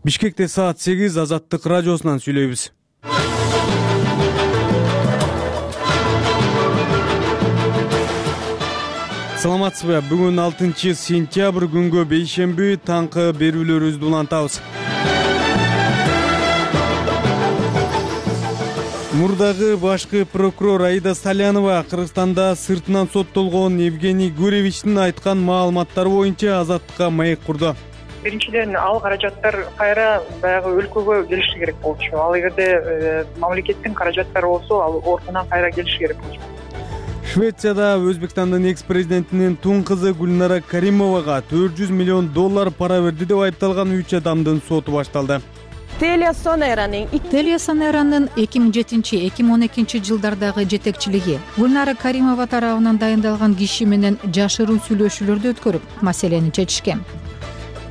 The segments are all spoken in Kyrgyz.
Бишкекте саат 8 Азаттык радиосунан сүйлөйбүз. Саламатсызбы? Бүгүн 6 сентябрь күнгө бейшемби таңкы берүүлөрүбүздү улантабыз. Мурдагы башкы прокурор Аида Салянова Кыргызстанда сыртынан соттолгон Евгений Гуревичтин айткан маалыматтары боюнча Азаттыкка маек курду. Биринчиден, ал каражаттар кайра баягы өлкөгө келиши керек болчу. Ал эгерде мамлекеттин каражаттары болсо, ал ортунан кайра келиши керек болчу. Швецияда Өзбекстандын экс-президентинин тун кызы Гүлнара Каримовага $400 миллион пара берди деп айыпталган 3 адамдын соту башталды. TeliaSoneranын 2007-2012 жылдардагы жетекчилиги Гүлнара Каримова тарабынан дайындалган киши менен жашыруу сүйлөшүүлөрдү өткөрүп, маселени чечишкен.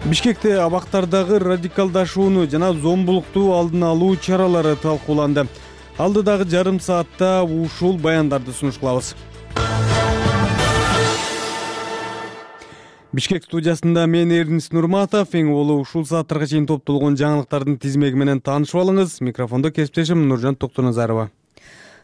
Бишкекте абактардагы радикалдашууну жана зомбулукту алдын алуу чаралары талкууланды. Алдыдагы жарым саатта ушул баяндарды сунуш кылабыз. Бишкек студиясында мен Эрнис Нурматов, эң боло ушул сааттарга чейин топтолгон жаңылыктардын тизмеги менен таанышып алыңыз. Микрофондо кесиптешим Нуржан Токтоназарова.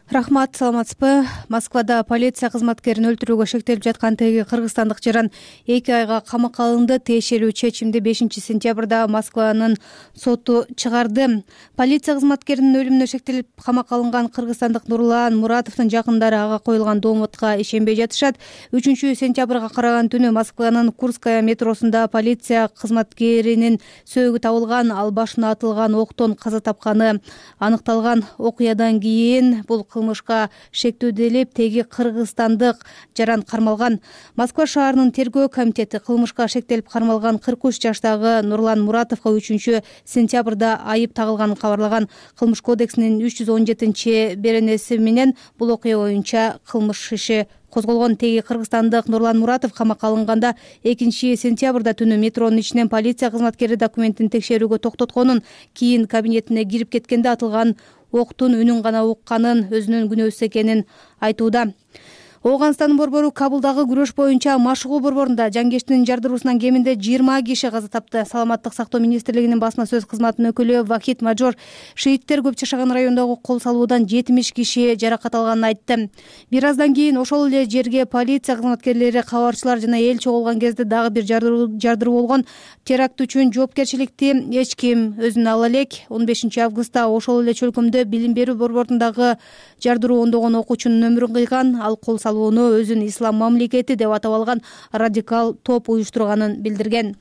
Рахмат, саламатсызбы? Москвада полиция кызматкерин өлтүрүүгө шектелип жаткан теги кыргызстандык жаран 2 айга камакка алынды. Тиешелүү чечимди 5 сентябрда Москванын соту чыгарды. Полиция кызматкеринин өлүмүнө шектелип камакка алынган кыргызстандык Нурлан Муратовдун жакындары ага коюлган доомотко ишенбей жатышат. 3 сентябрга караган түнү Москванын Курская метросунда полиция кызматкеринин сөөгү табылган, ал башына атылган октон каза тапканы аныкталган. Окуядан кийин бул кылмышка шектөөдөлүп, теги кыргызстандык жаран кармалган. Москва шаарынын тергөө комитети кылмышка шектелип кармалган 43 жаштагы Нурлан Муратовго 3 сентябрда айып тагылганын кабарлаган. Кылмыш кодексинин 317 беренеси менен бул окуя боюнча кылмыш иши козголгон. Теги кыргызстандык Нурлан Муратов камакка алынганда 2 сентябрда түнү метронун ичинен полиция кызматкери документин текшерүүгө токтотконун, кийин кабинетине кирип кеткенде атылган октун үнүн гана укканын, өзүнүн күнөөсүз экенин айтууда. Ооганстандын борбору Кабулдагы күрөш боюнча машыгуу борборунда жангештин жардыруусунан кеминде 20 киши каза тапты. Саламаттык сактоо министрлигинин басма сөз кызматынын өкүлү Вахид Мажор шииттер көп жашаган райондогу кол салуудан 70 киши жаракат алганын айтты. Бир аздан кийин ошол эле жерге полиция кызматкерлери, кабарчылар жана эл чогулган кезде дагы бир жардыруу болгон. Теракт үчүн жоопкерчиликти эч ким өзүнө ала элек. 15 августта ошол эле чөлкөмдө билим берүү борборундағы жардыруу ондогон окуучунун өмүрүн кыйган. Ал кол салууну өзүн ислам мамлекети деп атап алган радикал топ уюштурганын билдирген.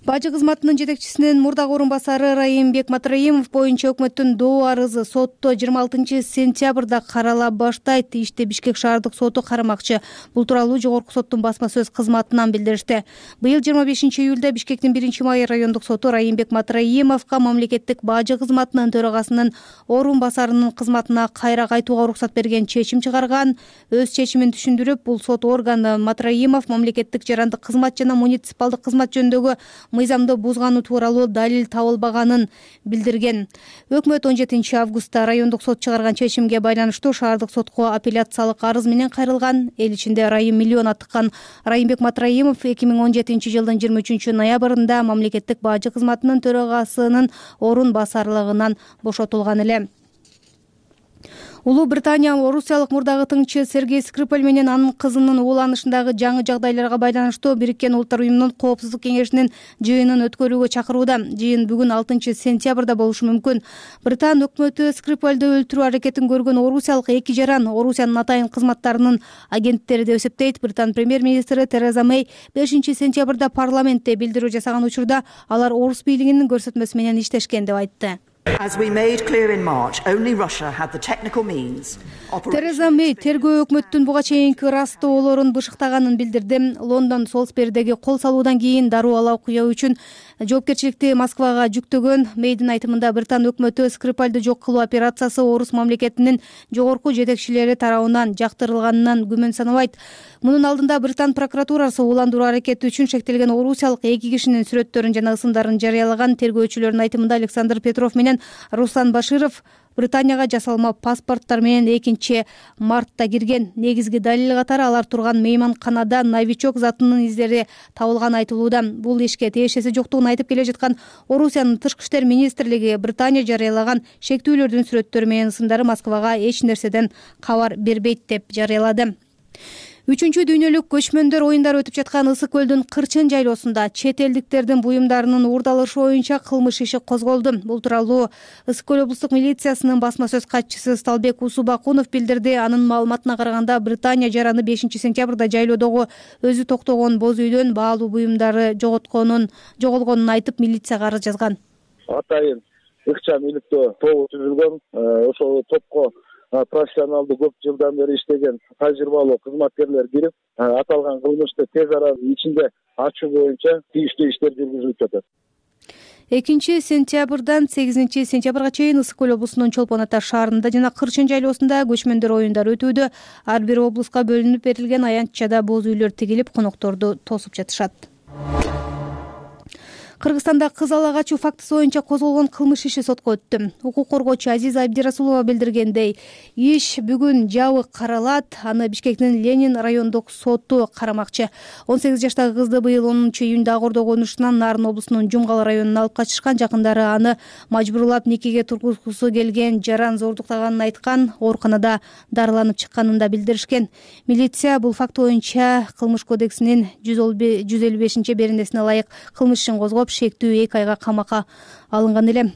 Бажы кызматынын жетекчисинин мурдагы орун басары Райымбек Матраимов боюнча өкмөттүн доо арызы сотто 26 сентябрда карала баштайт. Ишти Бишкек шаардык соту карамакчы. Бул тууралуу жогорку соттун басма сөз кызматынан билдиришти. Быйыл 25 июлда Бишкектин 1-май райондук соту Райымбек Матраимовго мамлекеттик бажы кызматынын төрагасынын орун басарынын кызматына кайра кайтууга уруксат берген чечим чыгарган. Өз чечимин түшүндүрүп, бул сот органы Матраимов мамлекеттик жарандык кызмат жана муниципалдык кызмат жөнүндөгү мыйзамды бузганы тууралуу далил табылбаганын билдирген. Өкмөт 17 августта райондук сот чыгарган чечимге байланыштуу шаардык сотко апелляциялык арыз менен кайрылган. Эл ичинде Райым миллион аттыккан Райымбек Матраимов 2017 жылдын 23 ноябрында мамлекеттик бажы кызматынын төрагасынын орун басарлыгынан бошотулган эле. Улуу Британия орусиялык мурдагы тыңчы Сергей Скрипаль менен анын кызынын ууланышындагы жаңы жагдайларга байланыштуу Бириккен Улуттар уюмунун Коопсуздук кеңешинин жыйынын өткөрүүгө чакырууда. Жыйын бүгүн 6 сентябрда болушу мүмкүн. Британ өкмөтү Скрипальды өлтүрүү аракетин көргөн орусиялык 2 жаран Орусиянын атайын кызматтарынын агенттери деп эсептейт. Британ премьер-министри Тереза Мэй 5 сентябрда парламентте билдирүү жасаган учурда алар орус бийлигинин көрсөтмөсү менен иштешкен деп айтты. Тереза Мэй тергөө өкмөттүн буга чейинки ырастоолорун бышыктаганын билдирди. Лондон Солсберидеги кол салуудан кийин дароо ала окуя үчүн жоопкерчиликти Москвага жүктөгөн. Мэйдин айтымында Британ өкмөтү Скрипальды жок кылуу операциясы орус мамлекетинин жогорку жетекчилери тарабынан жактырылганынан күмөн санабайт. Мунун алдында Британ прокуратурасы ууландыруу аракети үчүн шектелген орусиялык 2 кишинин сүрөттөрүн жана ысымдарын жарыялаган. Тергөөчүлөрдүн айтымында Александр Петров менен Руслан Баширов Британияга жасалма паспорттор менен 2-мартта кирген. Негизги далил катары алар турган мейманканада новичок затынын издери табылган айтылууда. Бул ишке тиешеси жоктугун айтып келе жаткан Орусиянын тышкы иштер министрлиги Британия жарыялаган шектүүлөрдүн сүрөттөрү менен ысымдары Москвага эч нерседен кабар бербейт деп жарыялады. 3-чү дүйнөлүк көчмөндөр оюндары өтүп жаткан Ысык көлдүн Кырчын жайлоосунда чет элдиктердин буюмдарынын уурдалышы боюнча кылмыш иши козголду. Бул тууралуу Ысык көл облустук милициясынын басма сөз катчысы Сталбек Усубакунов билдирди. Анын маалыматына караганда Британия жараны 5-сентябрда жайлоодогу өзү токтогон боз үйдөн баалуу буюмдары жоголгонун айтып, милицияга арыз жазган. Атайын ыкчам иликтөө тобу түзүлгөн. Ошол топко профессионалдуу көп жылдан бери иштеген тажрыйбалуу кызматкерлер кирип, аталган кылмышты тез арада ичинде ачуу боюнча тийиштүү иштер жүргүзүлүп жатат. 2-сентябрдан 8-сентябрга чейин Ысык көл облусунун Чолпон Ата шаарында жана Кырчын жайлоосунда көчмөндөр оюндары өтүүдө. Ар бир облуска бөлүнүп берилген аянтчада боз үйлөр тигилип, конокторду тосуп жатышат. Кыргызстанда кыз ала качуу фактысы боюнча козголгон кылмыш иши сотко өттү. Укук коргоочу Азиза Абдирасулова билдиргендей, иш бүгүн жабык каралат. Аны Бишкектин Ленин райондук соту карамакчы. 18 жаштагы кызды быйыл 10-июнда Акордо конушунан Нарын облусунун Жумгал районуна алып качышкан. Жакындары аны мажбурлап никеге тургузгусу келген, жаран зордуктаганын айткан, ооруканада дарыланып чыкканын да билдиришкен. Милиция бул факт боюнча Кылмыш кодексинин 155-беренесине ылайык кылмыш ишин козгоп, шектүү 2 айга камакка алынган эле.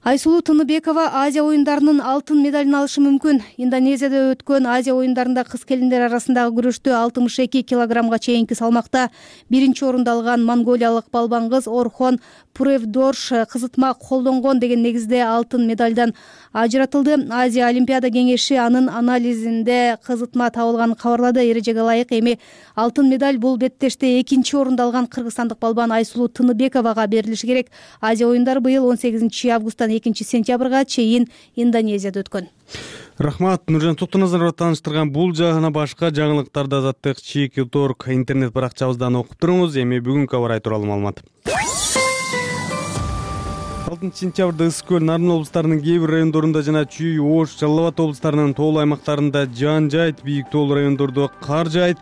Айсулуу Тыныбекова Азия оюндарынын алтын медалын алышы мүмкүн. Индонезияда өткөн Азия оюндарында кыз келиндер арасындагы күрөштө 62 килограммга чейинки салмакта 1-орунду алган монголиялык балбан кыз Орхон Пуревдорш кызытма колдонгон деген негизде алтын медалдан ажыратылды. Азия Олимпиада кеңеши анын анализинде кызытма табылганын кабарлады. Эрежеге ылайык эми алтын медаль бул беттеште 2-орунду алган кыргызстандык балбан Айсулуу Тыныбековага берилиши керек. Азия оюндары быйыл 18-августтан 2-сентябрга чейин Индонезияда өткөн. Рахмат, Нуржан Токтоназарова тааныштырган бул жагына башка жаңылыктарды Азаттык Cheek.org интернет баракчабыздан окуп туруңуз. Эми бүгүнкү аба ырайы тууралуу маалымат. 6-сентябрда Ысык көл, Нарын облустарынын кээ бир райондорунда жана Чүй, Ош, Жалал Абад облустарынын тоолуу аймактарында жаан жайт, бийик тоолуу райондордо кар жайт.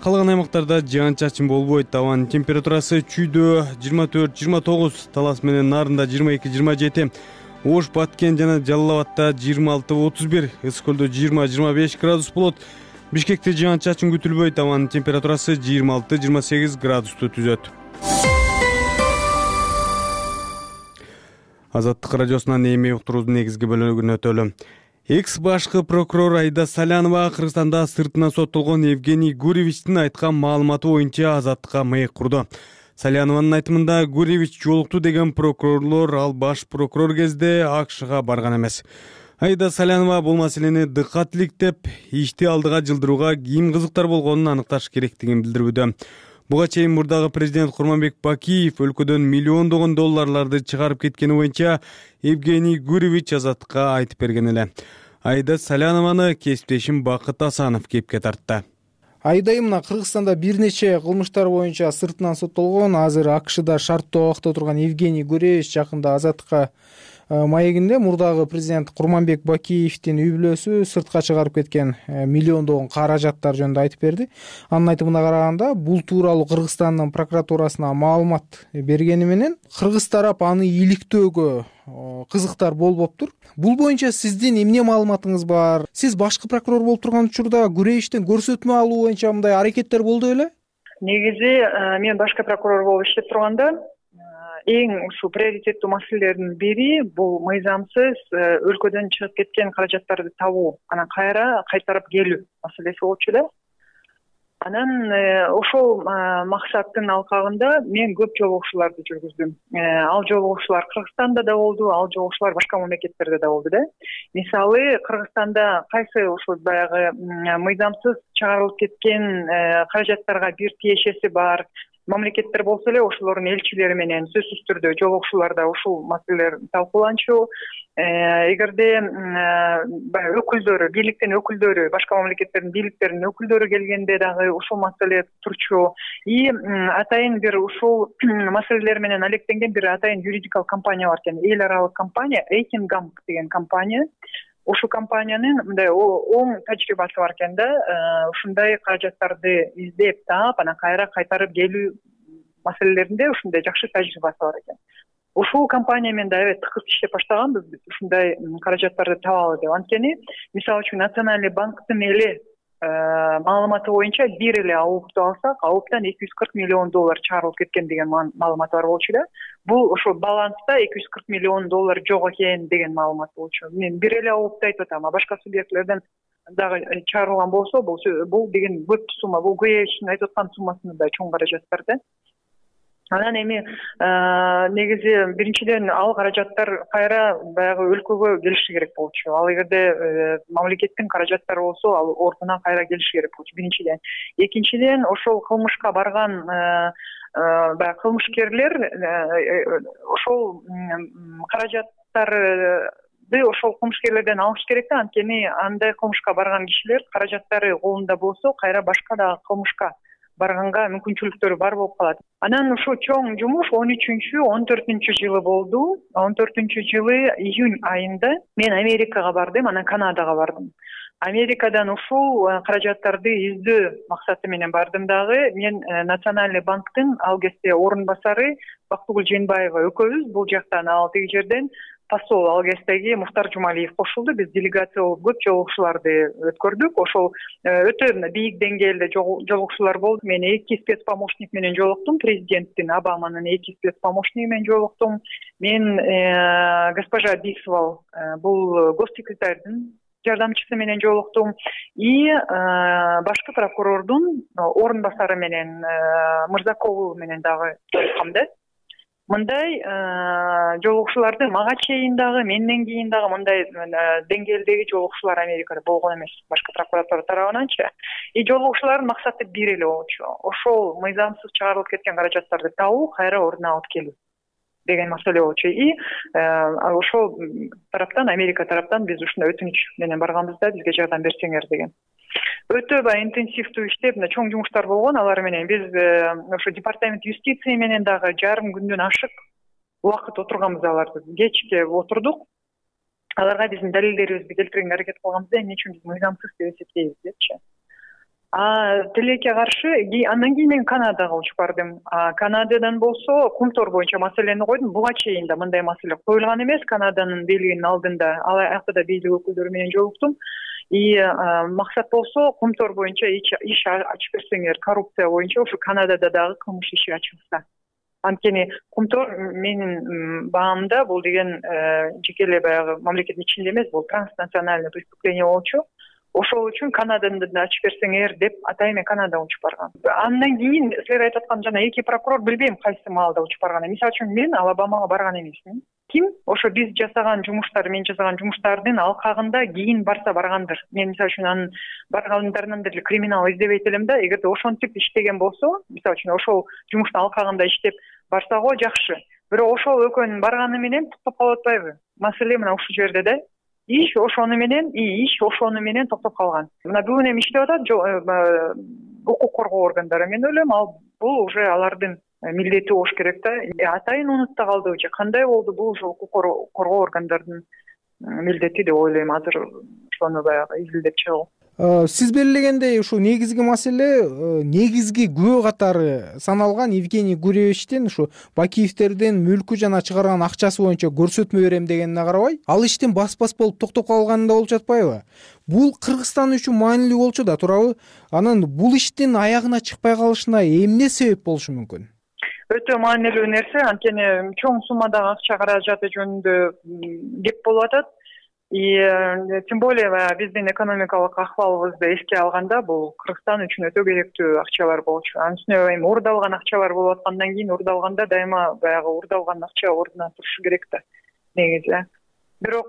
Калган аймактарда жаан-чачын болбойт. Абанын температурасы Чүйдө 24-29, Талас менен Нарында 22-27, Ош, Баткен жана Жалал Абадта 26-31, Ысык көлдө 20-25 градус болот. Бишкекте жаан-чачын күтүлбөйт. Абанын температурасы 26-28 градусту түзөт. Азаттык радиосунан эми уктуруудун негизги бөлүгүнө өтөлү. Экс-башкы прокурор Айда Салянова Кыргызстанда сыртынан соттолгон Евгений Гуревичтин айткан маалыматы боюнча азаттыкка маек курду. Салянованын айтымында Гуревич жолукту деген прокурорлор ал баш прокурор кезде АКШга барган эмес. Айда Салянова бул маселени дыкат иликтеп, ишти алдыга жылдырууга ким кызыктар болгонун аныкташ керектигин билдирүүдө. Буга чейин мурдагы президент Курманбек Бакиев өлкөдөн миллиондогон долларларды чыгарып кеткени боюнча Евгений Гуревич азаттыкка айтып берген эле. Айда Салянованы кесиптешим Бакыт Асанов кепке тартты. Айдай мына Кыргызстанда бир нече кылмыштар боюнча сыртынан соттолгон, азыр АКШда шарттуу абакта турган Евгений Гуревич жакында азаттыкка маегинде мурдагы президент Курманбек Бакиевдин үй бүлөсү сыртка чыгарып кеткен миллиондогон каражаттар жөнүндө айтып берди. Анын айтымына караганда, бул тууралуу Кыргызстандын прокуратурасына маалымат бергени менен кыргыз тарап аны иликтөөгө кызыктар болбоптур. Бул боюнча сиздин эмне маалыматыңыз бар? Сиз башкы прокурор болуп турган учурда Гуревичтен көрсөтмө алуу боюнча мындай аракеттер болду беле? Негизи мен башкы прокурор болуп иштеп турганда эң ушул приоритеттүү маселелердин бири бул мыйзамсыз өлкөдөн чыгып кеткен каражаттарды табуу, анан кайра кайтарып келүү маселеси болчу эле. Анан ошол максаттын алкагында мен көп жолугушууларды жүргүздүм. Ал жолугушуулар Кыргызстанда да болду, ал жолугушуулар башка мамлекеттерде да болду да. Мисалы, Кыргызстанда кайсы ошол баягы мыйзамсыз чыгарылып кеткен каражаттарга бир тиешеси бар, мамлекеттер болсо эле ошолордун элчилери менен сөзсүз түрдө жолугушууларда ушул маселелер талкууланчу. Эгерде баягы өкүлдөрү, бийликтин өкүлдөрү, башка мамлекеттердин бийликтеринин өкүлдөрү келгенде дагы ушул маселе турчу. И атайын бир ушул маселелер менен алектенген бир атайын юридикалык компания бар экен, эл аралык компания, Эйтингамп деген компания. Ушул компаниянын мындай оң тажрыйбасы бар экен да, ушундай каражаттарды издеп таап, анан кайра кайтарып келүү маселелеринде ушундай жакшы тажрыйбасы бар экен. Ушул компания менен да тыкыз иштеп баштаганбыз биз ушундай каражаттарды табалы деп. Анткени, мисалы үчүн Национальный банктын эле маалыматы боюнча бир эле АУПту алсак, АУПтан $240 миллион чыгарылып кеткен деген маалымат бар болчу да. Бул ошо баланста $240 миллион жок экен деген маалымат болчу. Мен бир эле АУПту айтып атам, а башка субъектлерден дагы чыгарылган болсо, бул деген көп сумма. Бул Гуевичтин айтып аткан суммасынан да чоң каражаттар да. Анан эми негизи биринчиден ал каражаттар кайра баягы өлкөгө келиши керек болчу. Ал эгерде мамлекеттин каражаттары болсо, ал ордуна кайра келиши керек болчу биринчиден. Экинчиден, ошол кылмышка барган баягы кылмышкерлер ошол каражаттарды ошол кылмышкерлерден алыш керек да. Анткени андай кылмышка барган кишилер каражаттары колунда болсо, кайра башка дагы кылмышка барганга мүмкүнчүлүктөрү бар болуп калат. Анан ушул чоң жумуш 13-14 жылы болду. 14 жылы июнь айында мен Америкага бардым, анан Канадага бардым. Америкадан ушул каражаттарды издөө максаты менен бардым дагы. Мен Национальный банктын ал кезде орун басары Бактыгүл Жээнбаева экөөбүз бул жактан, ал тиги жерден посол ал кездеги Мухтар Жумалиев кошулду. Биз делегация болуп көп жолугушууларды өткөрдүк. Ошол өтө бийик деңгээлде жолугушуулар болду. Мен 2 спецпомощник менен жолуктум, президенттин Обаманын 2 спецпомощниги менен жолуктум. Мен госпожа Бисвал, бул госсекретардын жардамчысы менен жолуктум. И башкы прокурордун орун басары менен Мырзакову менен дагы жолуккам да. Мындай жолугушууларды мага чейин дагы, менден кийин дагы мындай деңгээлдеги жолугушуулар Америкада болгон эмес, башкы прокуратура тарабынан-чы. И жолугушуулардын максаты бир эле болчу. Ошол мыйзамсыз чыгарылып кеткен каражаттарды табуу, кайра ордуна алып келүү деген маселе болчу. И ошол тараптан, Америка тараптан биз ушундай өтүнүч менен барганбыз да, бизге жардам берсеңер деген. Өтө интенсивдүү иштеп, чоң жумуштар болгон алар менен. Биз ошо департамент юстиция менен дагы жарым күндөн ашык убакыт отурганбыз аларды. Кечке отурдук. Аларга биздин далилдерибизди келтиргенге аракет кылганбыз да, эмне үчүн биз мыйзамсыз деп эсептейбиз депчи. Тилекке каршы андан кийин мен Канадага учуп бардым. Канададан болсо Кумтор боюнча маселени койдум. Буга чейин да мындай маселе коюлган эмес Канаданын бийлигинин алдында. Ал жакта да бийлик өкүлдөрү менен жолуктум. И максат болсо Кумтор боюнча иш ачып берсеңер, коррупция боюнча ошо Канадада дагы кылмыш иши ачылса. Анткени Кумтор менин баамда бул деген жеке эле баягы мамлекеттин ичинде эмес, бул транснациональный преступление болчу. Ошол үчүн Канаданы да ачып берсеңер деп атайын мен Канадага учуп баргам. Андан кийин силер айтып аткан жана эки прокурор билбейм кайсы маалда учуп барган. Мисалы үчүн мен Алабамага барган эмесмин. Ким ошо биз жасаган жумуштар, мен жасаган жумуштардын алкагында кийин барса баргандыр. Мен мисалы үчүн анын баргандарынан деле криминал издебейт элем да. Эгерде ошентип иштеген болсо, мисалы үчүн ошол жумуштун алкагында иштеп барса го жакшы. Бирок ошол экөөнүн барганы менен токтоп калып атпайбы? Маселе мына ушул жерде да. Иш ошону менен токтоп калган. Мына бүгүн эми иштеп атат укук коргоо органдары. Мен ойлойм, бул уже алардын милдети болуш керек да. Атайын унутта калдыбы же кандай болду, бул уже укук коргоо органдардын милдети деп ойлойм. Азыр ошону баягы изилдеп чыгуу. Сиз белгилегендей ушу негизги маселе, негизги күбө катары саналган Евгений Гуревичтин ушу Бакиевтердин мүлкү жана чыгарган акчасы боюнча көрсөтмө берем дегенине карабай, ал иштин бас болуп токтоп калганында болуп жатпайбы? Бул Кыргызстан үчүн маанилүү болчу да турабы? Анан бул иштин аягына чыкпай калышына эмне себеп болушу мүмкүн? Өтө маанилүү нерсе, анткени чоң суммадагы акча каражаты жөнүндө кеп болуп атат. И тем более биздин экономикалык акыбалыбызды эске алганда, бул Кыргызстан үчүн өтө керектүү акчалар болчу. Анын үстүнө эми урдалган акчалар болуп аткандан кийин урдалганда дайыма баягы урдалган акча ордуна турушу керек да негизи. бирок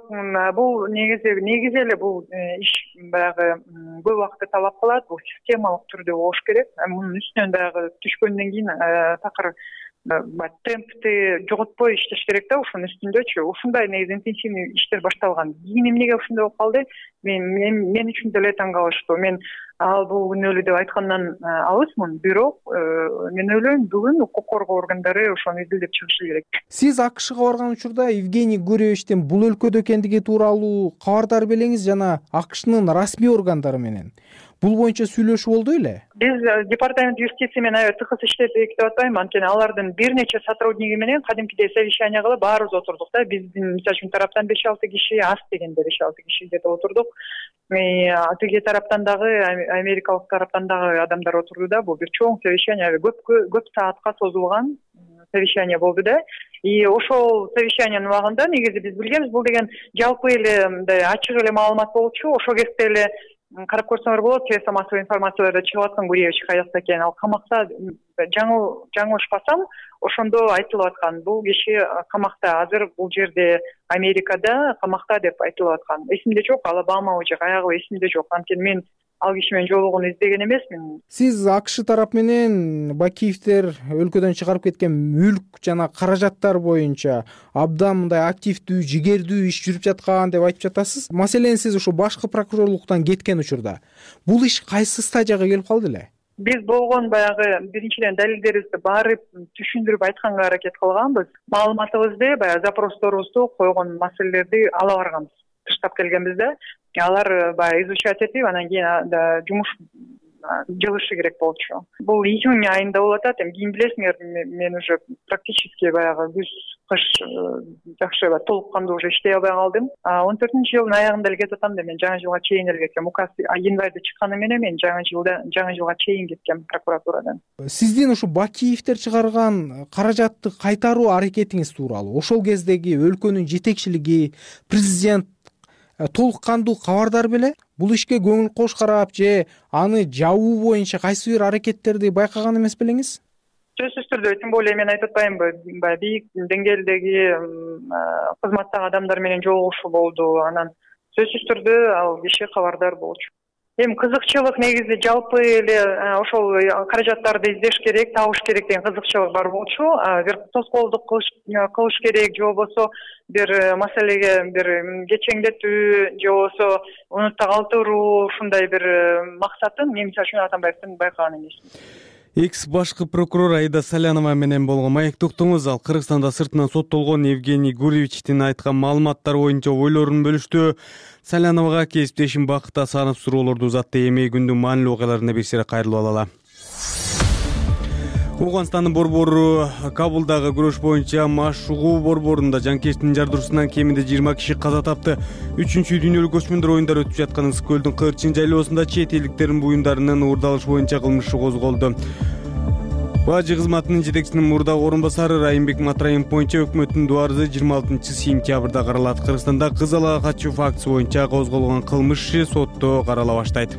бул негизи эле бул иш баягы көп убакытты талап кылат, бул системалык түрдө болуш керек. Мунун үстүнөн баягы түшкөндөн кийин такыр темпти жоготпой иштеш керек да, ушунун үстүндөчү. Ушундай негизи интенсивный иштер башталган. Кийин эмнеге ушундай болуп калды? Мен үчүн деле таң калыштуу. Мен ал бул күнөөлүү деп айткандан алысмын, бирок мен ойлойм бүгүн укук коргоо органдары ошону изилдеп чыгышы керек. Сиз АКШга барган учурда Евгений Гуревичтин бул өлкөдө экендиги тууралуу кабардар белеңиз жана АКШнын расмий органдары менен бул боюнча сүйлөшүү болду беле? Биз департамент юстиция менен тыкыз иштедик деп атпайм, анткени алардын бир нече сотрудниги менен кадимкидей совещание кылып баарыбыз отурдук да. Биздин мисалы үчүн тараптан 5-6 киши, аз дегенде 5-6 киши где-то отурдук. Тиги тараптан дагы, америкалык тараптан дагы адамдар отурду да. Бул бир чоң совещание, көп саатка созулган совещание болду да. И ошол совещаниянын убагында негизи биз билгенбиз, бул деген жалпы эле мындай ачык эле маалымат болчу. Ошол кезде эле карап көрсөңөр болот, средства массовой информацияларда чыгып аткан Гуревич каякта экен. Ал камакта, жаңылышпасам, ошондо айтылып аткан. Бул киши камакта, азыр бул жерде Америкада камакта деп айтылып аткан. Эсимде жок, Алабамабы же каягы эсимде жок. Анткени мен ал киши менен жолугууну издеген эмесмин. Сиз АКШ тарап менен Бакиевдер өлкөдөн чыгарып кеткен мүлк жана каражаттар боюнча абдан мындай активдүү, жигердүү иш жүрүп жаткан деп айтып жатасыз. Маселен, сиз ушу башкы прокурорлуктан кеткен учурда бул иш кайсы стадияга келип калды эле? Биз болгон баягы биринчиден далилдерибизди баары түшүндүрүп айтканга аракет кылганбыз. Маалыматыбызды, баягы запросторубузду койгон маселелерди ала барганбыз. Тыштап келгенбиз да. Алар баягы изучать этип, анан кийин жумуш жылышы керек болчу. Бул июнь айында болуп атат. Кийин билесиңер, мен уже практически баягы күз, кыш жакшы толук кандуу уже иштей албай калдым. 14-жылдын аягында эле кетип атам да, мен жаңы жылга чейин эле кеткем. Указ январда чыкканы менен мен жаңы жылга чейин кеткем прокуратурадан. Сиздин ушу Бакиевдер чыгарган каражатты кайтаруу аракетиңиз тууралуу ошол кездеги өлкөнүн жетекчилиги, президент толук кандуу кабардар беле? Бул ишке көңүл кош карап же аны жабуу боюнча кайсы бир аракеттерди байкаган эмес белеңиз? Сөзсүз түрдө, тем более мен айтып атпаймынбы, бийик деңгээлдеги кызматтагы адамдар менен жолугушуу болду. Анан сөзсүз түрдө ал киши кабардар болчу. Эми кызыкчылык негизи жалпы эле ошол каражаттарды издеш керек, табыш керек деген кызыкчылык бар болчу. Бир тоскоолдук кылыш керек, же болбосо бир маселеге бир кечеңдетүү, же болбосо унутта калтыруу, ушундай бир максатын мен мисалы үчүн Атамбаевдин байкаган эмесмин. Экс башкы прокурор Аида Салянова менен болгон маектуктуңуз ал Кыргызстанда сыртынан соттолгон Евгений Гуревичтин айткан маалыматтар боюнча ойлорун бөлүштү. Саляновага кесиптешим Бакыт Асанов суроолорду узатты. Эми күндүн маанилүү окуяларына бир сыйра кайрылып алалы. Ооганстандын борбору Кабулдагы күрөш боюнча Машугу борборунда жанкечтин жардыруусунан кеминде 20 киши каза тапты. 3-чү дүйнөлүк көчмөндөр оюндары өтүп жаткан Ысык көлдүн Кырчын жайлоосунда чет элдиктердин буюмдарынын уурдалышы боюнча кылмыш козголду. Бажы кызматынын жетекчисинин мурдагы орун басары Райымбек Матраимов боюнча өкмөттүн дуарызы 26-сентябрда каралат. Кыргызстанда кыз алага катчуу фактысы боюнча козголгон кылмыш иши сотто карала баштайт.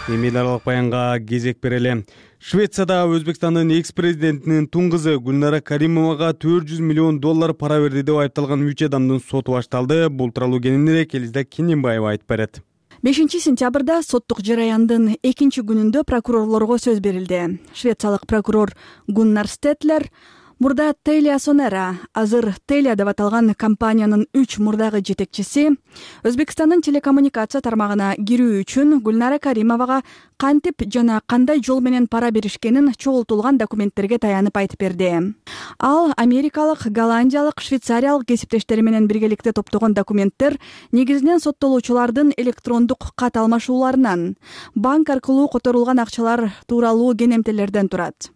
Эми эл аралык баянга кезек берели. Швецияда Өзбекстандын экс-президентинин туң кызы Гүлнара Каримовага $400 миллион пара берди деп айыпталган 3 адамдын соту башталды. Бул тууралуу кененирээк Элиза Кененбаева айтып берет. 5-сентябрда соттук жараяндын 2-күнүндө прокурорлорго сөз берилди. Швециялык прокурор Гуннар Стетлер мурда Telia Sonera, азыр Telia деп аталган компаниянын 3 мурдагы жетекчиси, Өзбекстандын телекоммуникация тармагына кирүү үчүн Гүлнара Каримовага кантип жана кандай жол менен пара беришкенин чогултулган документтерге таянып айтып берди. Ал америкалык, голландиялык, швейцариялык кесиптештери менен биргеликте топтогон документтер негизинен соттолуучулардын электрондук кат алмашууларынан, банк аркылуу которулган акчалар тууралуу кенемтелерден турат.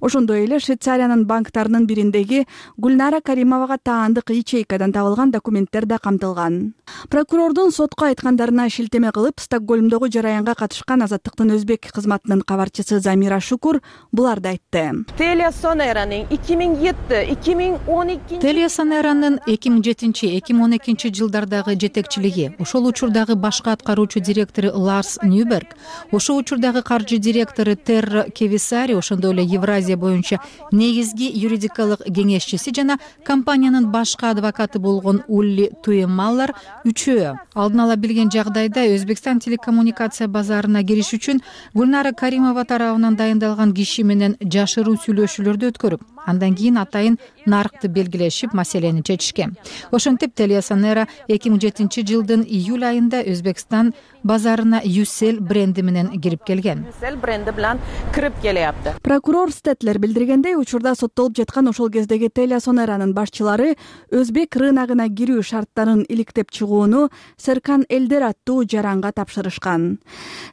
Ошондой эле Швейцариянын банктарынын бириндеги Гүлнара Каримовага таандык ячейкадан табылган документтер да камтылган. Прокурордун сотко айткандарына шилтеме кылып, Стокгольмдогу жараянга катышкан Азаттыктын өзбек кызматынын кабарчысы Замира Шукур буларды айтты. Telia Sonera'nын 2007-2012 Telia Sonera'нын 2007-2012 жылдардагы жетекчилиги, ошол учурдагы башкы аткаруучу директору Ларс Ньюберг, ошол учурдагы каржы директору Терра Кевисари, ошондой эле Евразия боюнча негизги юридикалык кеңешчиси жана компаниянын башкы адвокаты болгон Улли Туемаллар үчөө алдын ала билген жагдайда Өзбекстан телекоммуникация базарына кириш үчүн Гүлнара Каримова тарабынан дайындалган киши менен жашыруу сүйлөшүүлөрдү өткөрүп, андан кийин атайын нарыкты белгилешип, маселени чечишкен. Ошентип Телеосонера 2007 жылдын июль айында Өзбекстан базарына Юсел бренди менен кирип келген. Юсел бренди менен кирип келиапты. Прокурор Стетлер билдиргендей, учурда соттолуп жаткан ошол кездеги Телеосонеранын башчылары өзбек рыногуна кирүү шарттарын иликтеп чыгууну Серкан Элдер аттуу жаранга тапшырышкан.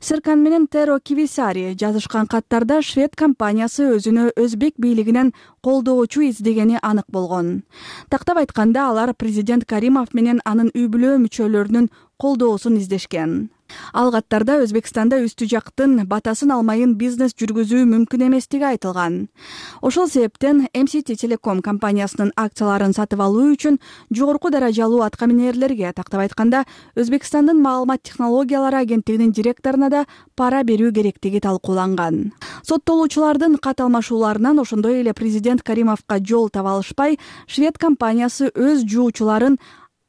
Серкан менен Теро Кивисари жазышкан каттарда швед компаниясы өзүнө өзбек бийлигинен колдоочу издегени анык болгон. Тактап айтканда, алар президент Каримов менен анын үй бүлө мүчөлөрүнүн колдоосун издешкен. Ал каттарда Өзбекстанда үстү жактын батасын алмайын бизнес жүргүзүү мүмкүн эместиги айтылган. Ошол себептен MCT Telecom компаниясынын акцияларын сатып алуу үчүн жогорку даражалуу аткаминерлерге, тактап айтканда, Өзбекстандын маалымат технологиялары агенттигинин директоруна да пара берүү керектиги талкууланган. Соттолуучулардын кат алмашууларынан ошондой эле президент Каримовго жол таба алышпай, швед компаниясы өз жуучуларын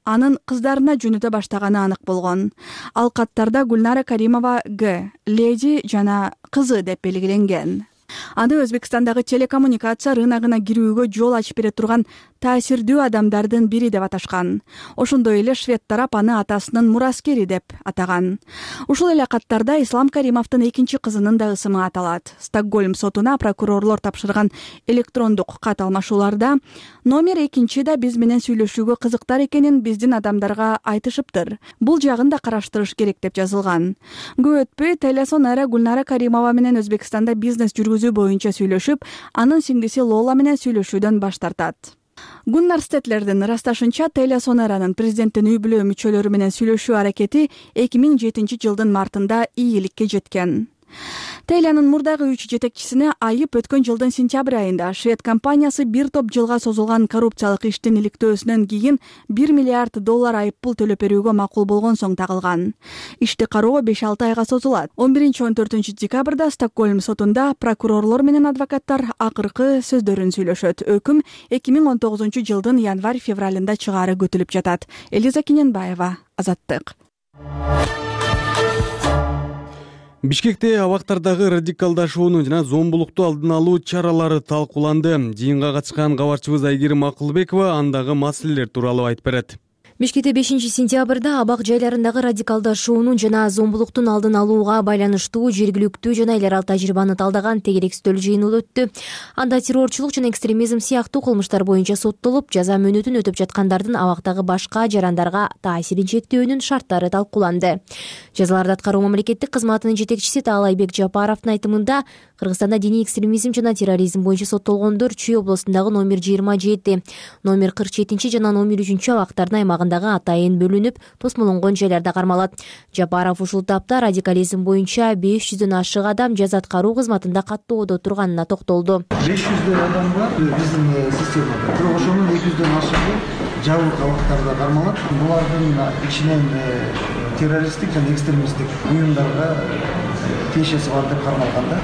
анын кыздарына жөнөтө баштаганы анык болгон. Ал каттарда Гүлнара Каримова Г, леди жана кызы деп белгиленген. Аны Өзбекстандагы телекоммуникация рыногуна кирүүгө жол ачып бере турган таасирдүү адамдардын бири деп аташкан. Ошондой эле швед тарап аны атасынын мураскери деп атаган. Ушул эле каттарда Ислам Каримовдун экинчи кызынын да ысымы аталат. Стокгольм сотуна прокурорлор тапшырган электрондук кат алмашууларда номер 2 да биз менен сүйлөшүүгө кызыктар экенин биздин адамдарга айтышыптыр. Бул жагын да караштырыш керек деп жазылган. Көп өтпөй Телеосонера Гүлнара Каримова менен Өзбекстанда бизнес жүргүзүү боюнча сүйлөшүп, анын сиңдиси Лола менен сүйлөшүүдөн баш тартат. Гуннар Стетлердин ырасташынча, Телеосонеранын президенттин үй бүлө мүчөлөрү менен сүйлөшүү аракети 2007 жылдын мартында ийгиликке жеткен. Телянын мурдагы 3 жетекчисине айып өткөн жылдын сентябрь айында швед компаниясы бир топ жылга созулган коррупциялык иштин иликтөөсүнөн кийин $1 миллиард айыппул төлөп берүүгө макул болгон соң тагылган. Ишти кароо 5-6 айга созулат. 11-14 декабрда Стокгольм сотунда прокурорлор менен адвокаттар акыркы сөздөрүн сүйлөшөт. Өкүм 2019 жылдын январь-февралында чыгаары күтүлүп жатат. Элиза Кененбаева, Азаттык. Бишкекте абактардагы радикалдашууну жана зомбулукту алдын алуу чаралары талкууланды. Жыйынга катышкан кабарчыбыз Айгерим Акылбекова андагы маселелер тууралуу айтып берет. Бишкекте 5-сентябрда абак жайларындагы радикалдашуунун жана зомбулуктун алдын алууга байланыштуу жергиликтүү жана эл аралык тажрыйбаны талдаган тегерек үстөл жыйыны өттү. Анда террорчулук жана экстремизм сыяктуу кылмыштар боюнча соттолуп, жаза мөөнөтүн өтүп жаткандардын абактагы башка жарандарга таасирин чектөөнүн шарттары талкууланды. Жазаларды аткаруу мамлекеттик кызматынын жетекчиси Таалайбек Жапаровдун айтымында, Кыргызстанда диний экстремизм жана терроризм боюнча соттолгондор Чүй облусундагы номер 27, номер 47 жана номер 3 абактардын аймагындагы атайын бөлүнүп, тосмолонгон жайларда кармалат. Жапаров ушул тапта радикализм боюнча 500дөн ашык адам жаза аткаруу кызматында каттоодо турганына токтолду. 500 адам бар биздин системада. Бирок ошонун 200дөн ашыгы жабык абактарда кармалат. Булардын ичинен террористтик жана экстремисттик уюмдарга тиешеси бар деп кармалган да.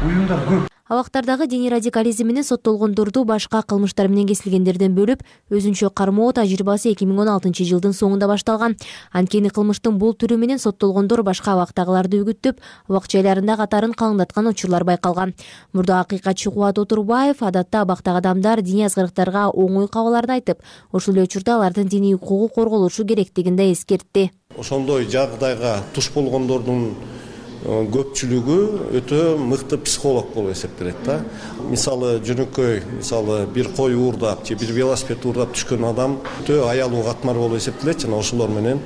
Уюмдар көп. Абактардагы диний радикализм менен соттолгондорду башка кылмыштар менен кесилгендерден бөлүп, өзүнчө кармоо тажрыйбасы 2016 жылдын соңунда башталган. Анткени кылмыштын бул түрү менен соттолгондор башка абактагыларды үгүттөп, абак жайларында катарын калыңдаткан учурлар байкалган. Мурда акыйкатчы Кубат Отурбаев адатта абактагы адамдар диний азгырыктарга оңой кабыларын айтып, ошол эле учурда алардын диний укугу корголушу керектигин да эскертти. Ошондой жагдайга туш болгондордун көпчүлүгү өтө мыкты психолог болуп эсептелет да. Мисалы жөнөкөй, бир кой уурдап же бир велосипед уурдап түшкөн адам өтө аялуу катмар болуп эсептелет жана ошолор менен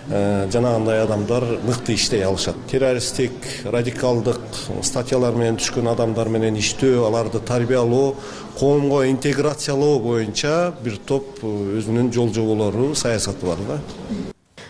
жанагындай адамдар мыкты иштей алышат. Террористтик, радикалдык статьялар менен түшкөн адамдар менен иштөө, аларды тарбиялоо, коомго интеграциялоо боюнча бир топ өзүнүн жол жоболору, саясаты бар да.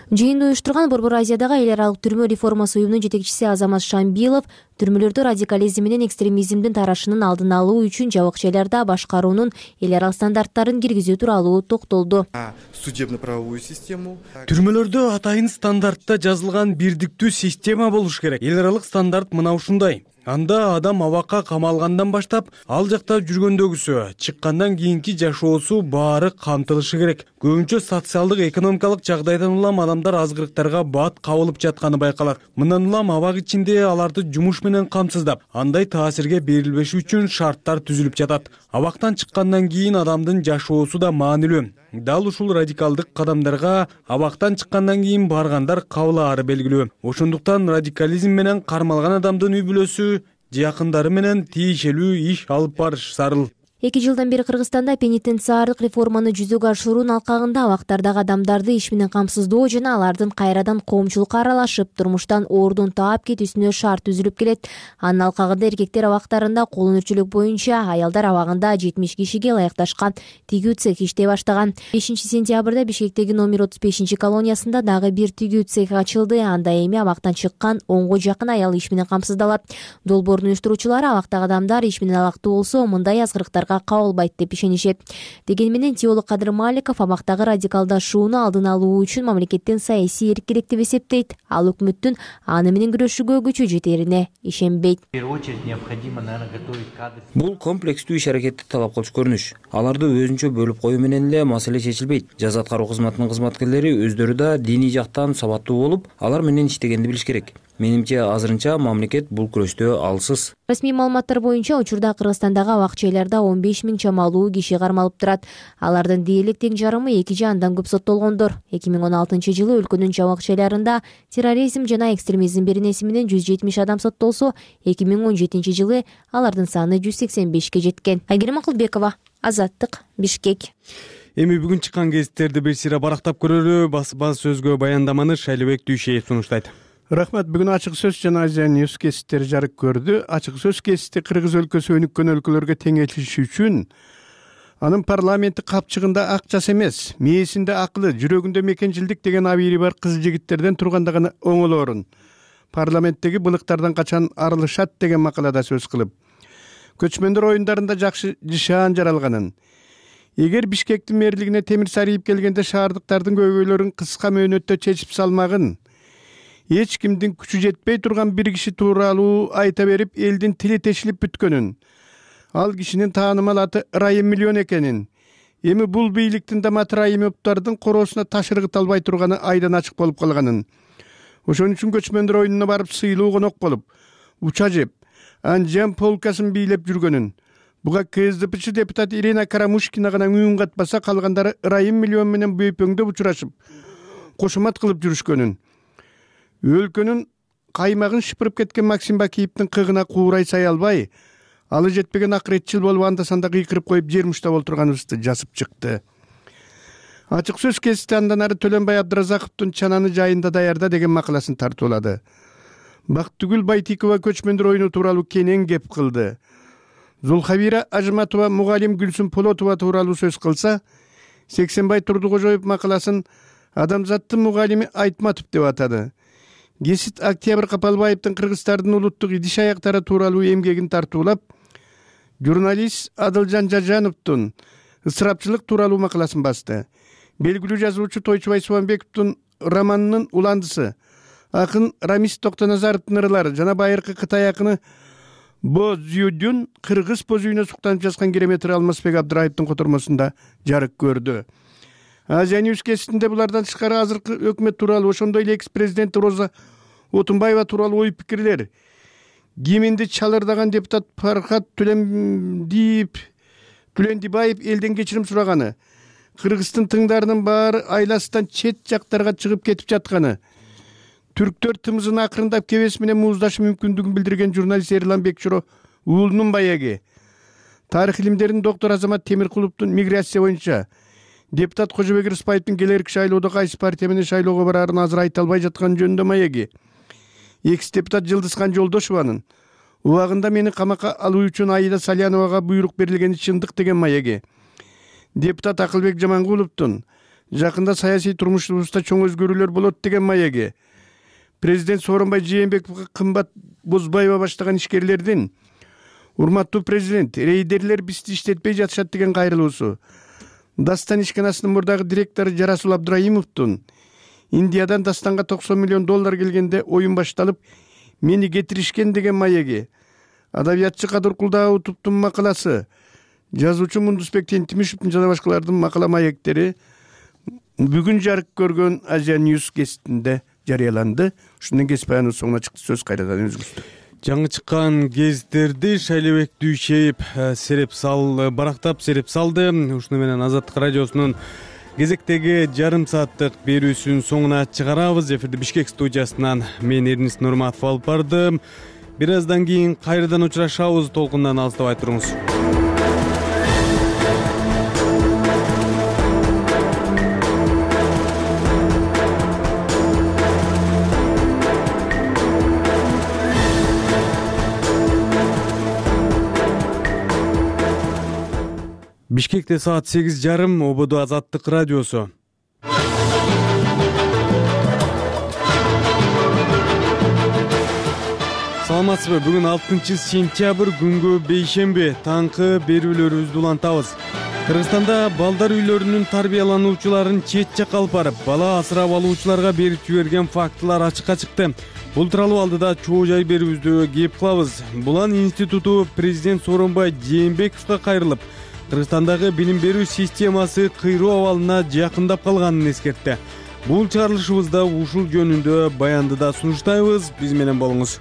Жыйынды уюштурган Борбор Азиядагы эл аралык түрмө реформасы уюмунун жетекчиси Азамат Шамбилов түрмөлөрдө радикализм менен экстремизмдин тарашынын алдын алуу үчүн жабык жайларда башкаруунун эл аралык стандарттарын киргизүү тууралуу токтолду. Судебно-правовую систему. Түрмөлөрдө атайын стандартта жазылган бирдиктүү система болуш керек. Эл аралык стандарт мына ушундай. Анда адам абакка камалгандан баштап ал жакта жүргөндөгүсү, чыккандан кийинки жашоосу баары камтылышы керек. Көбүнчө социалдык экономикалык жагдайдан улам адамдар азгырыктарга бат кабылып жатканы байкалат. Мындан улам абак ичинде аларды жумуш менен камсыздап, андай таасирге берилбеши үчүн шарттар түзүлүп жатат. Абактан чыккандан кийин адамдын жашоосу да маанилүү. Дал ушул радикалдык кадамдарга абактан чыккандан кийин баргандар кабылаары белгилүү. Ошондуктан радикализм менен кармалган адамдын үй бүлөсү, жакындары менен тиешелүү иш алып барыш зарыл. 2 жылдан бери Кыргызстанда пенитенциардык реформаны жүзөгө ашыруунун алкагында абактардагы адамдарды иш менен камсыздоо жана алардын кайрадан коомчулукка аралашып, турмуштан оордун таап кетүүсүнө шарт түзүлүп келет. Анын алкагында эркектер абактарында кол өнөрчүлүк боюнча, аялдар абагында 70 кишиге ылайыкташкан тигүү цех иштей баштаган. 5 сентябрда Бишкектеги номер 35 колониясында дагы бир тигүү цех ачылды. Анда эми абактан чыккан 10го жакын аял иш менен камсыздалат. Долбоордун уюштуруучулары абактагы адамдар иш менен алактуу болсо, мындай азгырыктар кабылбайт деп ишенишет. Дегени менен теолог Кадыр Маликов абактагы радикалдашууну алдын алуу үчүн мамлекеттен саясий эрк керек деп эсептейт. Ал өкмөттүн аны менен күрөшүүгө күчү жетерине ишенбейт. Бул комплекстүү иш-аракетти талап кылчу көрүнүш. Аларды өзүнчө бөлүп коюу менен эле маселе чечилбейт. Жаза аткаруу кызматынын кызматкерлери өздөрү да диний жактан сабаттуу болуп, алар менен иштегенди билиш керек. Менимче азырынча мамлекет бул күрөштө алсыз. Расмий маалыматтар боюнча учурда Кыргызстандагы абак-жайларда 15 000 чамалуу киши кармалып турат. Алардын дээрлик тең жарымы 2 же андан көп соттолгондор. 2016 жылы өлкөнүн абак-жайларында терроризм жана экстремизм беренеси менен 170 адам соттолсо, 2017 жылы алардын саны 185 жеткен. Айгерим Акылбекова, Азаттык, Бишкек. Эми бүгүн чыккан гезиттерди бир сыйра барактап көрөлү. Бас сөзгө баяндаманы Шайлыбек Дүйшеев сунуштайт. Рахмат. Бүгүн ачык сөз жана Азия Ньюс гезиттери жарык көрдү. Ачык сөз гезити Кыргыз өлкөсү өнүккөн өлкөлөргө теңелиши үчүн анын парламенти капчыгында акчасы эмес, мээсинде акылы, жүрөгүндө мекенчилдик деген абийири бар кыз жигиттерден турганда гана оңолоорун парламенттеги былыктардан качан арылышат деген макалада сөз кылып, көчмөндөр оюндарында жакшы жышаан жаралганын, эгер Бишкектин мэрлигине Темир Сариев келгенде шаардыктардын көйгөйлөрүн кыска мөөнөттө чечип салмагын, эч кимдин күчү жетпей турган бир киши тууралуу айта берип, элдин тили тешилип бүткөнүн, ал кишинин таанымал аты Ырайым Миллион экенин, эми бул бийликтин да Мат Ырайымовдордун короосуна таш ыргыт албай турганы айдан ачык болуп калганын, ошон үчүн көчмөндөр оюнуна барып сыйлуу конок болуп, уча жеп, анжам полкасын бийлеп жүргөнүн, буга КСДПчы депутат Ирина Карамушкина гана үн катпаса, калгандары Ырайым Миллион менен бөйпөңдөп учурашып, кошумат кылып жүрүшкөнүн, өлкөнүн каймагын шыпырып кеткен Максим Бакиевдин кыгына куурай сай албай, алы жетпеген акыретчил болуп анда-санда кыйкырып коюп жер муштап олтурганыбызды жазып чыкты. Ачык сөз гезити андан ары Төлөнбай Абдыразаковдун Чананы жайында даярда деген макаласын тартуулады. Бактыгүл Байтикова көчмөндөр оюну тууралуу кенен кеп кылды. Зулхабира Ажматова мугалим Гүлсүн Полотова тууралуу сөз кылса, Сексенбай Турдукожоев макаласын Адамзаттын мугалими Айтматов деп атады. Гесит Октябрь Капалбаевдин Кыргыздардын улуттук идиш аяктары тууралуу эмгегин тартуулап, журналист Адылжан Жажановдун ысырапчылык тууралуу макаласын басты. Белгилүү жазуучу Тойчубай Субанбековдун романынын уландысы, акын Рамис Токтоназаровдун ырлары жана байыркы Кытай акыны Бо Зюдюн кыргыз боз үйүнө суктанып жазган кереметри Алмазбек Абдыраевдин котормосунда жарык көрдү. Азия Ньюс гезитинде булардан тышкары азыркы өкмөт тууралуу, ошондой эле экс-президент Роза Отунбаева тууралуу ой пикирлер, киминди чалырдаган депутат Фархат Түлендибаев элден кечирим сураганы, Кыргыздын тыңдарынын баары айласынан чет жактарга чыгып кетип жатканы, түрктөр тымызын акырындап кебес менен мууздаш мүмкүндүгүн билдирген журналист Эрлан Бекчуро уулунун баягы, тарых илимдеринин доктор Азамат Темиркуловдун миграция боюнча депутат Кожобек Рыспаевдин келерки шайлоодо кайсы партия менен шайлоого бараарын азыр айта албай жаткан жөнүндө маеги, экс-депутат Жылдызхан Жолдошованын убагында мени камакка алуу үчүн Аида Саляновага буйрук берилгени чындык деген маеги, депутат Акылбек Жамангуловдун жакында саясий турмушубузда чоң өзгөрүүлөр болот деген маеги, президент Сооронбай Жээнбековго кымбат Бозбаева баштаган ишкерлердин урматтуу президент, рейдерлер бизди иштетпей жатышат деген кайрылуусу, Дастан ишканасынын мурдагы директору Жарасул Абдыраимовдун Индиядан Дастанга $90 миллион келгенде оюн башталып, мени кетиришкен деген маеги, Адабиятчы Кадыр Кулдаутовдун макаласы, жазуучу Мундусбек Тентимишевдин жана башкалардын макала маектери бүгүн жарык көргөн Азия News гезитинде жарыяланды. Ушундан кесип аянын соңуна чыкты. Сөз кайрадан өзүңүздө. Жаңы чыккан гезиттерди Шайлебек Дүйшеев барактап сереп салды. Ушуну менен Азаттык радиосунун кезектеги жарым сааттык берүүсүнүн соңуна чыгарабыз. Эфирди Бишкек студиясынан мен Эрнис Нурматов алып бардым. Бир аздан кийин кайрадан учурашабыз. Толкундан алыстабай туруңуз. Бишкекте саат 8:30, ободо Азаттык радиосу. Саламатсызбы? Бүгүн 6-сентябрь күнгө бейшемби. Таңкы берүүлөрүбүздү улантабыз. Кыргызстанда балдар үйлөрүнүн тарбиялануучуларын чет жакка алып барып, бала асырап алуучуларга берип жиберген фактылар ачыкка чыкты. Бул тууралуу алдыда чоо жай берүүбүздү кеп кылабыз. Булан институту президент Сооронбай Жээнбековго кайрылып, Кыргызстандагы билим берүү системасы кыйроо абалына жакындап калганын эскертти. Бул чыгарылышыбызда ушул жөнүндө баянды да сунуштайбыз. Биз менен болуңуз.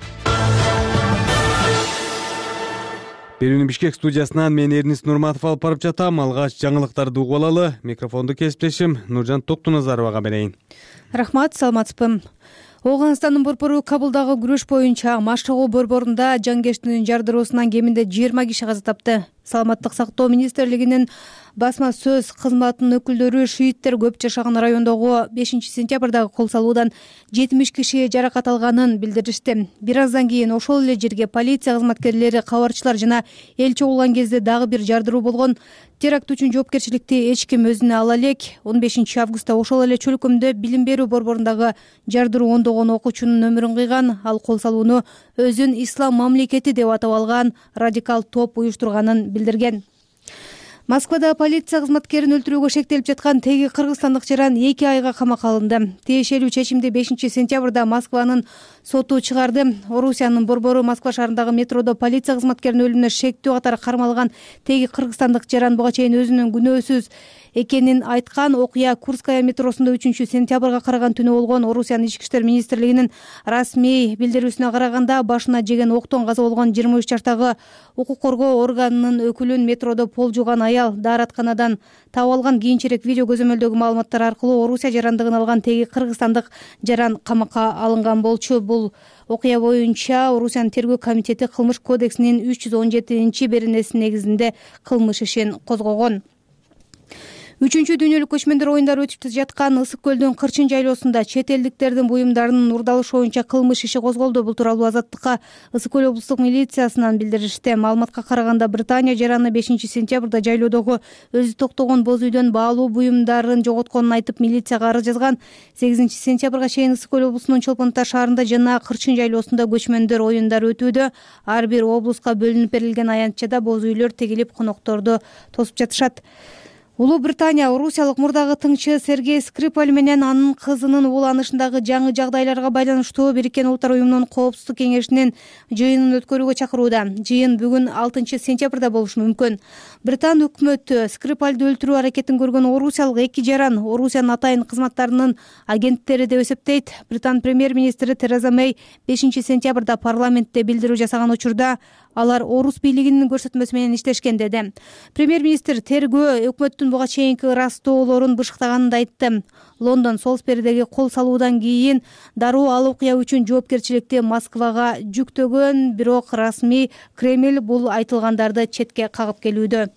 Берүүнү Бишкек студиясынан мен Эрнис Нурматов алып барып жатам. Алгач жаңылыктарды угуп алалы. Микрофонду кесиптешим Нуржан Токтуназаровага берейин. Рахмат, саламатсызбы? Ооганстандын борбору Кабулдагы күрөш боюнча Маштагоо борборунда жангештин жардыруусунан кеминде 20 киши каза тапты. Саламаттык сактоо министрлигинин басма сөз кызматынын өкүлдөрү шииттер көп жашаган райондогу 5-сентябрдагы кол салуудан 70 киши жаракат алганын билдиришти. Бир аздан кийин ошол эле жерге полиция кызматкерлери, кабарчылар жана эл чогулган кезде дагы бир жардыруу болгон. Теракт үчүн жоопкерчиликти эч ким өзүнө ала элек. 15-августта ошол эле чөлкөмдө билим берүү борборундагы жардыруу ондогон окуучунун өмүрүн кыйган. Ал кол салууну өзүн ислам мамлекети деп атап алган радикал топ уюштурганын билдирген. Москвада полиция кызматкерин өлтүрүүгө шектелип жаткан теги кыргызстандык жаран 2 айга камакка алынды. Тиешелүү чечимди 5-сентябрда Москванын соту чыгарды. Орусиянын борбору Москва шаарындагы метродо полиция кызматкеринин өлүмүнө шектүү катары кармалган теги кыргызстандык жаран буга чейин өзүнүн күнөөсүз экенин айткан. Окуя Курская метросунда 3-сентябрга караган түнү болгон. Орусиянын ички иштер министрлигинин расмий билдирүүсүнө караганда башына жеген октон каза болгон 23 жаштагы укук коргоо органынын өкүлүн метродо пол жууган аял дааратканадан таап алган. Кийинчерээк видео көзөмөлдөгү маалыматтар аркылуу Орусия жарандыгын алган теги кыргызстандык жаран камакка алынган болчу. Бул окуя боюнча Орусиянын тергөө комитети кылмыш кодексинин 317-беренеси негизинде кылмыш ишин козгогон. 3-чү дүйнөлүк көчмөндөр оюндары өтүп жаткан Ысык көлдүн Кырчын жайлоосунда чет элдиктердин буюмдарынын урдалышы боюнча кылмыш иши козголду. Бул тууралуу Азаттыкка Ысык көл облустук милициясынан билдиришти. Маалыматка караганда Британия жараны 5-сентябрда жайлоодогу өзү токтогон боз үйдөн баалуу буюмдарын жоготконун айтып милицияга арыз жазган. 8-сентябрга чейин Ысык көл облусунун Чолпон Ата шаарында жана Кырчын жайлоосунда көчмөндөр оюндары өтүүдө. Ар бир облуска бөлүнүп берилген аянтчада боз үйлөр тегилип конокторду тосуп жатышат. Улуу Британия орусиялык мурдагы тыңчы Сергей Скрипаль менен анын кызынын ууланышындагы жаңы жагдайларга байланыштуу Бириккен Улуттар уюмунун коопсуздук кеңешинин жыйынын өткөрүүгө чакырууда. Жыйын бүгүн 6-сентябрда болушу мүмкүн. Британ өкмөтү Скрипальды өлтүрүү аракетин көргөн орусиялык 2 жаран Орусиянын атайын кызматтарынын агенттери деп эсептейт. Британ премьер-министри Тереза Мэй 5-сентябрда парламентте билдирүү жасаган учурда алар орус бийлигинин көрсөтмөсү менен иштешкен деди. Премьер-министр тергөө өкмөттүн буга чейинки ырастоолорун бышыктаганын да айтты. Лондон Солсберидеги кол салуудан кийин дароо ал окуя үчүн жоопкерчиликти Москвага жүктөгөн, бирок расмий Кремль бул айтылгандарды четке кагып келүүдө.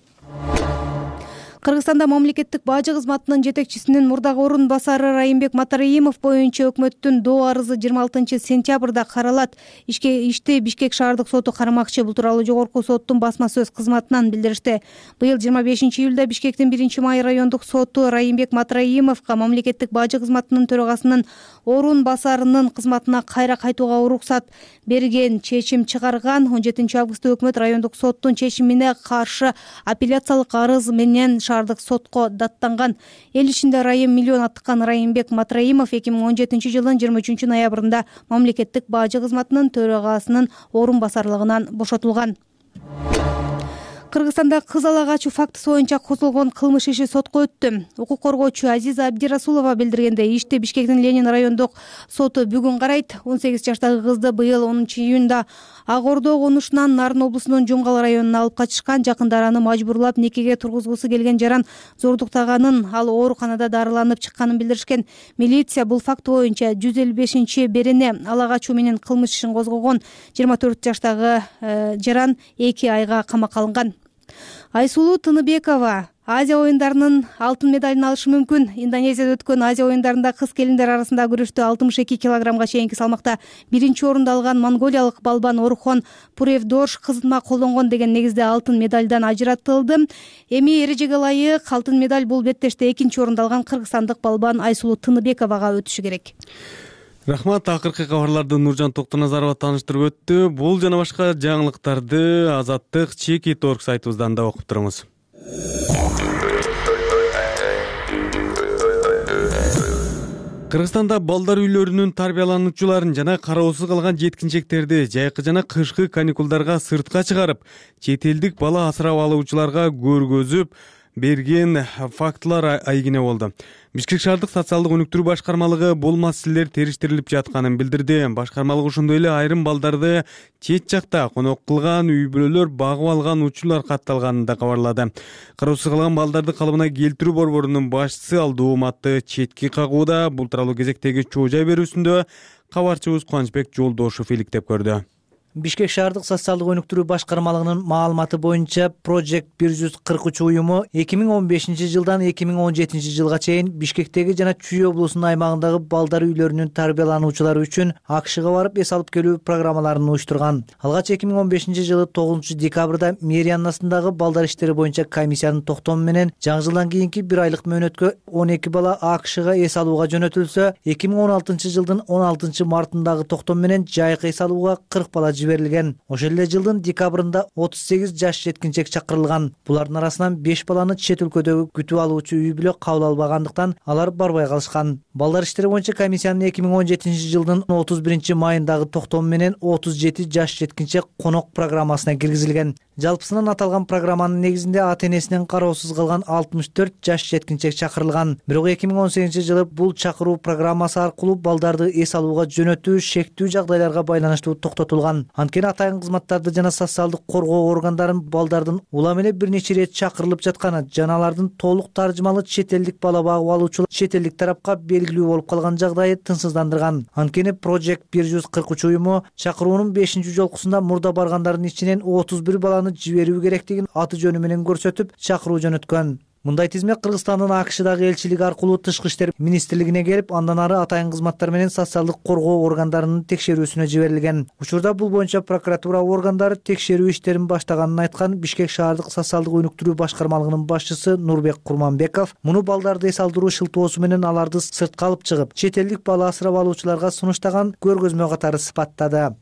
Кыргызстанда мамлекеттик бажы кызматынын жетекчисинин мурдагы орун басары Райымбек Матараимов боюнча өкмөттүн доо арызы 26-сентябрда каралат. Ишти Бишкек шаардык соту кармакчы. Бул тууралуу жогорку соттун басма сөз кызматынан билдиришти. Быйыл 25-июлда Бишкектин 1-май райондук соту Райымбек Матараимовго мамлекеттик бажы кызматынын төрагасынын орун басарынын кызматына кайра кайтууга уруксат берген чечим чыгарган. 17-августта өкмөт райондук соттун чечимине каршы апелляциялык арыз менен шаардык шаардык сотко даттанган. Эл ичинде Райым миллион аттыкан Райымбек Матраимов 2017 жылдын 23 ноябрында мамлекеттик бажы кызматынын төрагасынын орун басарлыгынан бошотулган. Кыргызстанда кыз ала качуу фактысы боюнча козголгон кылмыш иши сотко өттү. Укук коргоочу Азиза Абдирасулова билдиргендей, ишти Бишкектин Ленин райондук соту бүгүн карайт. 18 жаштагы кызды быйыл 10-июнда Ак Ордо конушунан Нарын облусунун Жумгал районуна алып качышкан. Жакындары аны мажбурлап никеге тургузгусу келген жаран зордуктаганын, ал ооруканада дарыланып чыкканын билдиришкен. Милиция бул факт боюнча 155-берене ала качуу менен кылмыш ишин козгогон. 24 жаштагы жаран 2 айга камакка алынган. Айсулуу Тыныбекова Азия оюндарынын алтын медалын алышы мүмкүн. Индонезияда өткөн Азия оюндарында кыз келиндер арасында күрөштө 62 килограммга чейинки салмакта биринчи орунду алган монголиялык балбан Орхон Пуревдош кызытма колдонгон деген негизде алтын медалдан ажыратылды. Эми эрежеге ылайык алтын медаль бул беттеште экинчи орунду алган кыргызстандык балбан Айсулуу Тыныбековага өтүшү керек. Рахмат. Акыркы кабарларды Нуржан Токтоназарова тааныштырып өттү. Бул жана башка жаңылыктарды Азаттык Чекит.org сайтыбыздан да окуп туруңуз. Кыргызстанда балдар үйлөрүнүн тарбиялануучуларын жана кароосуз калган жеткинчектерди жайкы жана кышкы каникулдарга сыртка чыгарып, чет элдик бала асырап алуучуларга көргөзүп берген фактылар айгине болду. Бишкек шаардык социалдык өнүктүрүү башкармалыгы бул маселелер териштирилип жатканын билдирди. Башкармалык ошондой эле айрым балдарды чет жакта конок кылган, үй бүлөлөр багып алган учурлар катталганын да кабарлады. Кароосуз калган балдарды калыбына келтирүү борборунун башчысы Алдууматты четки кагууда. Бул тууралуу кезектеги чоо жай берүүсүндө кабарчыбыз Кубанычбек Жолдошов иликтеп көрдү. Бишкек шаардык социалдык өнүктүрүү башкармалыгынын маалыматы боюнча Project 143 уюму 2015 жылдан 2017 жылга чейин Бишкектеги жана Чүй облусунун аймагындагы балдар үйлөрүнүн тарбиялануучулары үчүн АКШга барып эс алып келүү программаларын уюштурган. Алгач 2015 жылы 9 декабрда Мэрияннасындагы балдар иштери боюнча комиссиянын токтому менен жаңы жылдан кийинки 1 айлык мөөнөткө 12 бала АКШга эс алууга жөнөтүлсө, 2016 жылдын 16 мартындагы токтом менен жайкы эс алууга 40 бала жиберилген. Ошол эле жылдын декабрында 38 жаш жеткинчек чакырылган. Булардын арасынан 5 баланы чет өлкөдөгү күтүп алуучу үй бүлө кабыл албагандыктан алар барбай калышкан. Балдар иштери боюнча комиссиянын 2017 жылдын 31 майындагы токтому менен 37 жаш жеткинчек конок программасына киргизилген. Жалпысынан аталган программанын негизинде ата-энесинен кароосуз калган 64 жаш жеткинчек чакырылган. Бирок 2018 жылы бул чакыруу программасы аркылуу балдарды эс алууга жөнөтүү шектүү жагдайларга байланыштуу токтотулган. Анткени атайын кызматтарды жана социалдык коргоо органдарын балдардын улам эле бир нече ирет чакырылып жатканы жана алардын толук таржымалуу чет элдик бала багып алуучулар чет элдик тарапка белгилүү болуп калган жагдайы тынчсыздандырган. Анткени Project 143 уюму чакыруунун 5-жолкусунда мурда баргандардын ичинен 31 баланы жиберүү керектигин аты жөнү менен көрсөтүп чакыруу жөнөткөн. Мындай тизмек Кыргызстандын АКШдагы элчилиги аркылуу Тышкы иштер министрлигине келип, андан ары атайын кызматтар менен социалдык коргоо органдарынын текшерүүсүнө жиберилген. Учурда бул боюнча прокуратура органдары текшерүү иштерин баштаганын айткан Бишкек шаардык социалдык өнүктүрүү башкармалыгынын башчысы Нурбек Курманбеков муну балдарды эс алдыруу шылтоосу менен аларды сыртка алып чыгып, чет элдик бала асырап алуучуларга сунуштаган көргөзмө катары сыпаттады.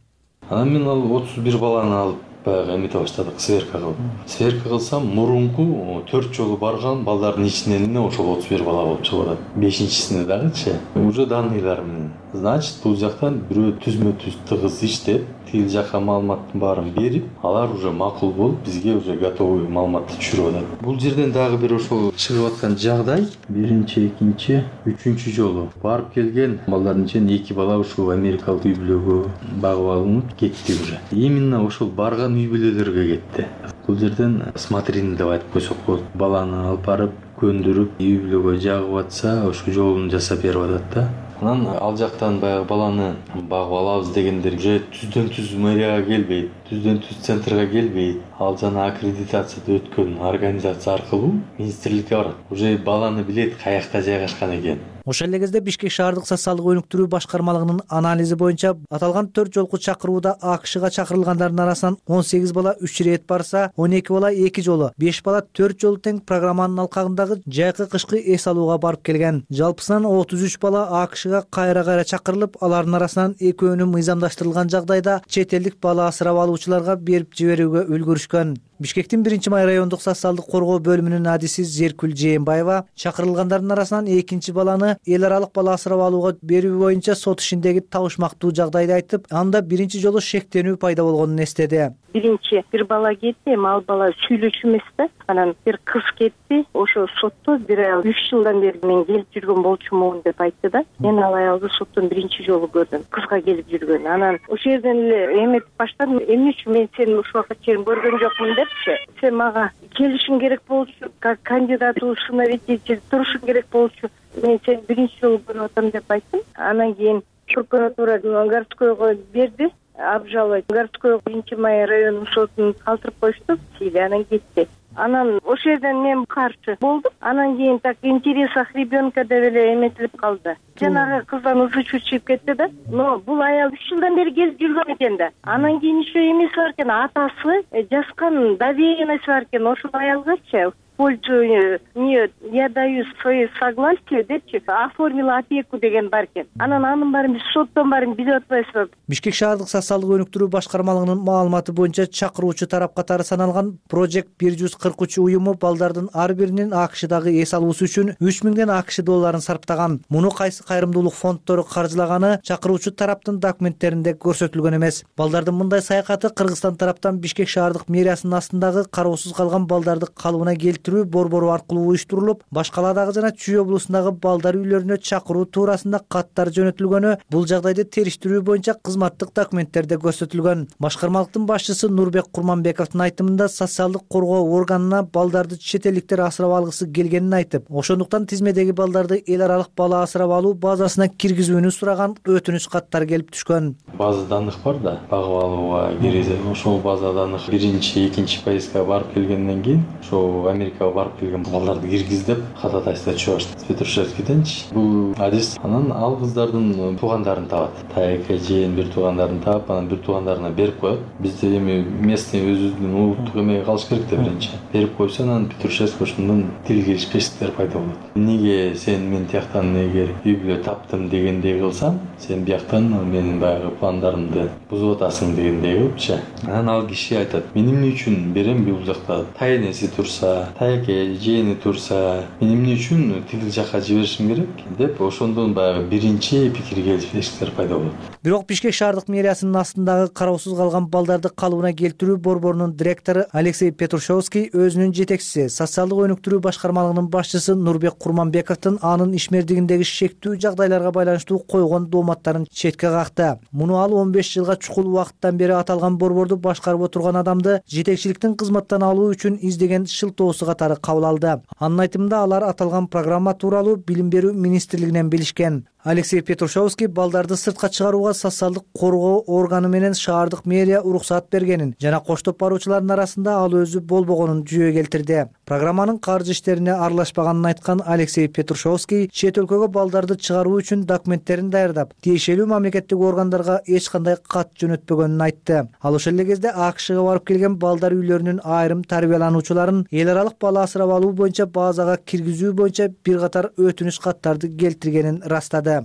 Анан мен ал 31 баланы алып эмете баштадык, сверка кылып. Сверка кылсам, мурунку 4 жолу барган балдардын ичинен эле ошол 31 бала болуп чыгып атат. 5-чисине дагычы уже данныйлар менен. Значит, бул жактан бирөө түзмө-түз тыгыз иштеп, тил жакка маалыматтын баарын берип, алар уже макул болуп, бизге уже готовый маалыматты түшүрүп атат. Бул жерден дагы бир ошол чыгып аткан жагдай, биринчи, экинчи, үчүнчү жолу барып келген балдардын ичинен 2 бала ушул америкалык үй бүлөгө багып алынып кетти уже. Именно ошол барган үй бүлөлөргө кетти. Бул жерден смотрины деп айтып койсок болот. Баланы алып барып көндүрүп, үй бүлөгө жагып атса, ошол жолун жасап берип атат да. Анан ал жактан баягы баланы багып алабыз дегендер же түздөн түз мэрияга келбейт, түздөн түз центрга келбейт. Ал жана аккредитацияда өткөн организация аркылуу министрликке барат. Уже баланы билет каякта жайгашкан экен. Ошол эле кезде Бишкек шаардык социалдык өнүктүрүү башкармалыгынын анализи боюнча аталган 4 жолку чакырууда АКШга чакырылгандардын арасынан 18 бала 3 ирет барса, 12 бала 2 жолу, 5 бала 4 жолу тең программанын алкагындагы жайкы кышкы эс алууга барып келген. Жалпысынан 33 бала АКШга кайра чакырылып, алардын арасынан экөөнү мыйзамдаштырылган жагдайда чет элдик бала асырап алуучуларга берип жиберүүгө үлгүрүшкөн. Бишкектин 1-Май райондук социалдык коргоо бөлүмүнүн адиси Зеркүл Жээнбаева чакырылгандардын арасынан экинчи баланы эл аралык бала асырап алууга берүү боюнча сот ишиндеги табышмактуу жагдайды айтып, анда биринчи жолу шектенүү пайда болгонун эстеди. Биринчи бир бала кетти, эми ал бала сүйлөчү эмес да. Анан бир кыз кетти. Ошо сотто бир аял 3 жылдан бери мен келип жүргөн болчумун деп айтты да. Мен ал аялды соттон биринчи жолу көрдүм. Кызга келип жүргөн. Анан ошол жерден эле эметип баштадым. Эмне үчүн мен сени ушул убакка чейин көргөн жокмун депчи. Сен мага келишиң керек болчу, как кандидат усыновитель турушуң керек болчу. Мен сени биринчи жолу көрүп атам деп айттым. Анан кийин прокуратура городкойго берди. Обжаловать городской 1-Май районунун сотун калтырып коюшту. Анан кетти. Анан ошол жерден мен каршы болдум. Анан кийин так интересах ребенка деп эле эметилип калды. Жанагы кыздан ызы чыгып кетти да. Но бул аял 3 жылдан бери келип жүргөн экен да. Анан кийин еще эмеси бар экен, атасы жазган доверенность бар экен ошол аялгачы. Пользу я даю свои согласие депчи, оформила опеку деген бар экен. Анан анын баарын биз соттон баарын билип атпайбызбы? Бишкек шаардык социалдык өнүктүрүү башкармалыгынын маалыматы боюнча чакыруучу тарап катары саналган Project 143 уюму балдардын ар биринин АКШдагы эс алуусу үчүн 3000 АКШ долларын сарптаган. Муну кайсы кайрымдуулук фонддору каржылаганы чакыруучу тараптын документтеринде көрсөтүлгөн эмес. Балдардын мындай саякаты Кыргызстан тараптан Бишкек шаардык мэриясынын астындагы кароосуз калган балдарды калыбына борбору аркылуу уюштурулуп, Башкаладагы жана Чүй облусундагы балдар үйлөрүнө чакыруу туурасында каттар жөнөтүлгөнү, бул жагдайды териштирүү боюнча кызматтык документтерде көрсөтүлгөн. Башкармалыктын башчысы Нурбек Курманбековдун айтымында социалдык коргоо органына балдарды чет элдиктер асырап алгысы келгенин айтып, ошондуктан тизмедеги балдарды эл аралык бала асырап алуу базасына киргизүүнү сураган өтүнүч каттар келип түшкөн. База данных бар да, багып алууга киргизет. Ошол база данных 1-2 поездга барып келгенден кийин, ошо Америкага барып келген балдарды киргиз деп ходатайство чыгыш Петрушевскийденчи. Бул адис анан ал кыздардын туугандарын табат. Таяка жээн бир туугандарын таап, анан бир туугандарына берип коет. Бизде эми местный өзүбүздүн улуттук эмеге калыш керек да биринчи. Берип койсо анан Петрушевский ошондон тил келишпестиктер пайда болот. Эмнеге сен мен тияктан эгер үй бүлө таптым дегендей кылсаң, сен бияктан менин баягы пландарымды бузуп атасың дегендей кылыпчы. Анан ал киши айтат: мен эмне үчүн берем бул жакта тайнеси турса, таяке жээни турса, мен эмне үчүн тигил жакка жиберишим керек деп ошондон баягы биринчи пикир келишпестиктер пайда болот. Бирок Бишкек шаардык мэриясынын астындагы кароосуз калган балдарды калыбына келтирүү борборунун директору Алексей Петрушевский өзүнүн жетекчиси, социалдык өнүктүрүү башкармалыгынын башчысы Нурбек Курманбековдун анын ишмердигиндеги шектүү жагдайларга байланыштуу койгон дооматтарын четке какты. Муну ал 15 жылга чукул убакыттан бери аталган борборду башкарып отурган адамды жетекчиликтин кызматтан алуу үчүн издеген шылтоосу катары кабыл алды. Анын айтымында алар аталган программа тууралуу Билим берүү министрлигинен билишкен. Алексей Петрушевский балдарды сыртка чыгарууга социалдык коргоо органы менен шаардык мэрия уруксаат бергенин жана коштоп баруучулардын арасында ал өзү болбогонун жүйө келтирди. Программанын каржы иштерине аралашпаганын айткан Алексей Петрушевский чет өлкөгө балдарды чыгаруу үчүн документтерин даярдап, тиешелүү мамлекеттик органдарга эч кандай кат жөнөтпөгөнүн айтты. Ал ошол эле кезде АКШга барып келген балдар үйлөрүнүн айрым тарбиялануучуларын эл аралык бала асырап алуу боюнча базага киргизүү боюнча бир катар өтүнүч каттарды келтиргенин ырастады.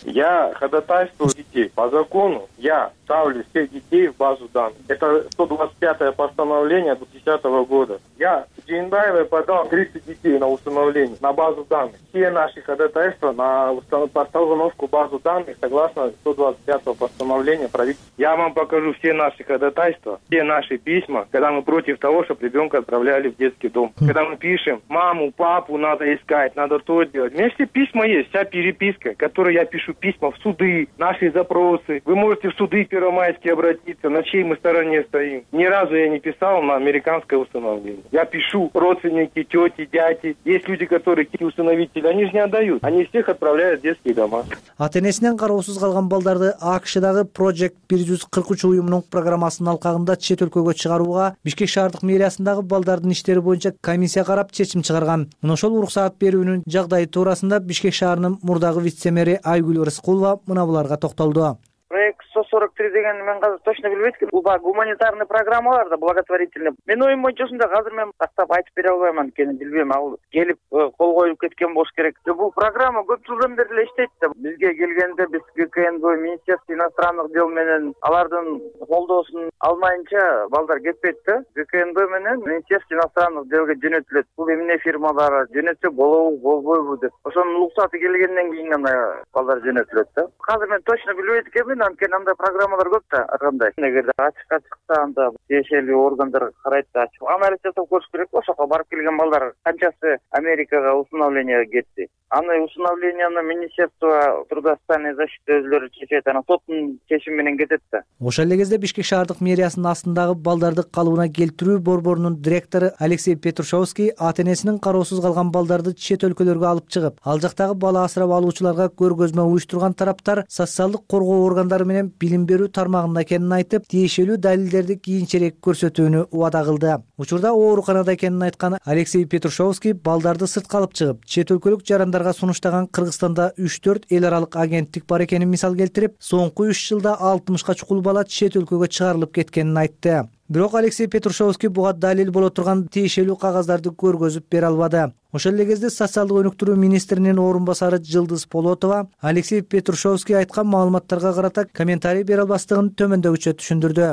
Я ходатайствую детей по закону, я ставлю всех детей в базу данных. Это 125-е постановление 2010 года. Я Жээнбаевой подал 30 детей на установление, на базу данных. Все наши ходатайства на постановку базу данных согласно 125-го постановления правительства. Я вам покажу все наши ходатайства, все наши письма, когда мы против того, чтобы ребенка отправляли в детский дом. Когда мы пишем: маму, папу надо искать, надо то делать. У меня все письма есть, вся переписка, которую я пишу письма в суды, наши запросы. Вы можете в суды Первомайские обратиться, на чьей мы стороне стоим. Ни разу я не писал на американское установление. Я пишу родственники, тети, дяди. Есть люди, которые усыновители, они же не отдают. Они всех отправляют в детские дома. Ата-энесинен кароосуз калган балдарды АКШдагы Project 143 уюмунун программасынын алкагында чет өлкөгө чыгарууга Бишкек шаардык мэриясындагы балдардын иштери боюнча комиссия карап чечим чыгарган. Мына ошол уруксаат берүүнүн жагдайы туурасында Бишкек шаарынын мурдагы вице-мэри Айгүл Рыскулова мына буларга токтолду. Проект 143 деген мен азыр точно билбейт экенмин. Бул баягы гуманитарный программалар да, благотворительный. Менин оюм боюнча ушундай, азыр мен тактап айтып бере албайм анткени билбейм, ал келип кол коюлуп кеткен болуш керек. Бул программа көп жылдан бери эле иштейт да. Бизге келгенде биз ГКНБ, Министерство иностранных дел менен алардын колдоосун алмайынча балдар кетпейт да. ГКНБ менен Министерство иностранных делге жөнөтүлөт. Бул эмне фирмалар жөнөтсө болобу, болбойбу деп. Ошонун уруксаты келгенден кийин гана балдар жөнөтүлөт да. Азыр мен точно билбейт экенмин, анткени андай программалар көп да, ар кандай. Эгерде ачыкта анда тиешелүү органдар карайт да, анализ жасап көрүш керек. Ошоко барып келген балдар канчасы Америкага усыновленияга кетти. Аны усыновленияны Министерство труда социальной защиты өзүлөрү чечет, анан соттун чечими менен кетет да. Ошол эле кезде Бишкек шаардык мэриясынын астындагы балдарды калыбына келтирүү борборунун директору Алексей Петрушевский ата-энесинин кароосуз калган балдарды чет өлкөлөргө алып чыгып, ал жактагы бала асырап алуучуларга көргөзмө уюштурган тараптар социалдык коргоо органдары менен билим берүү тармагында экенин айтып, тиешелүү далилдерди кийинчерээк көрсөтүүнү убада кылды. Учурда ооруканада экенин айткан Алексей Петрушевский балдарды сыртка алып чыгып, чет өлкөлүк жарандарга сунуштаган Кыргызстанда 3-4 эл аралык агенттик бар экенин мисал келтирип, соңку 3 жылда 60ка чукул бала чет өлкөгө чыгарылып кеткенин айтты. Бирок Алексей Петрушевский буга далил боло турган тиешелүү кагаздарды көргөзүп бере албады. Ошол эле кезде социалдык өнүктүрүү министринин орун басары Жылдыз Полотова Алексей Петрушевский айткан маалыматтарга карата комментарий бере албастыгын төмөндөгүчө түшүндүрдү.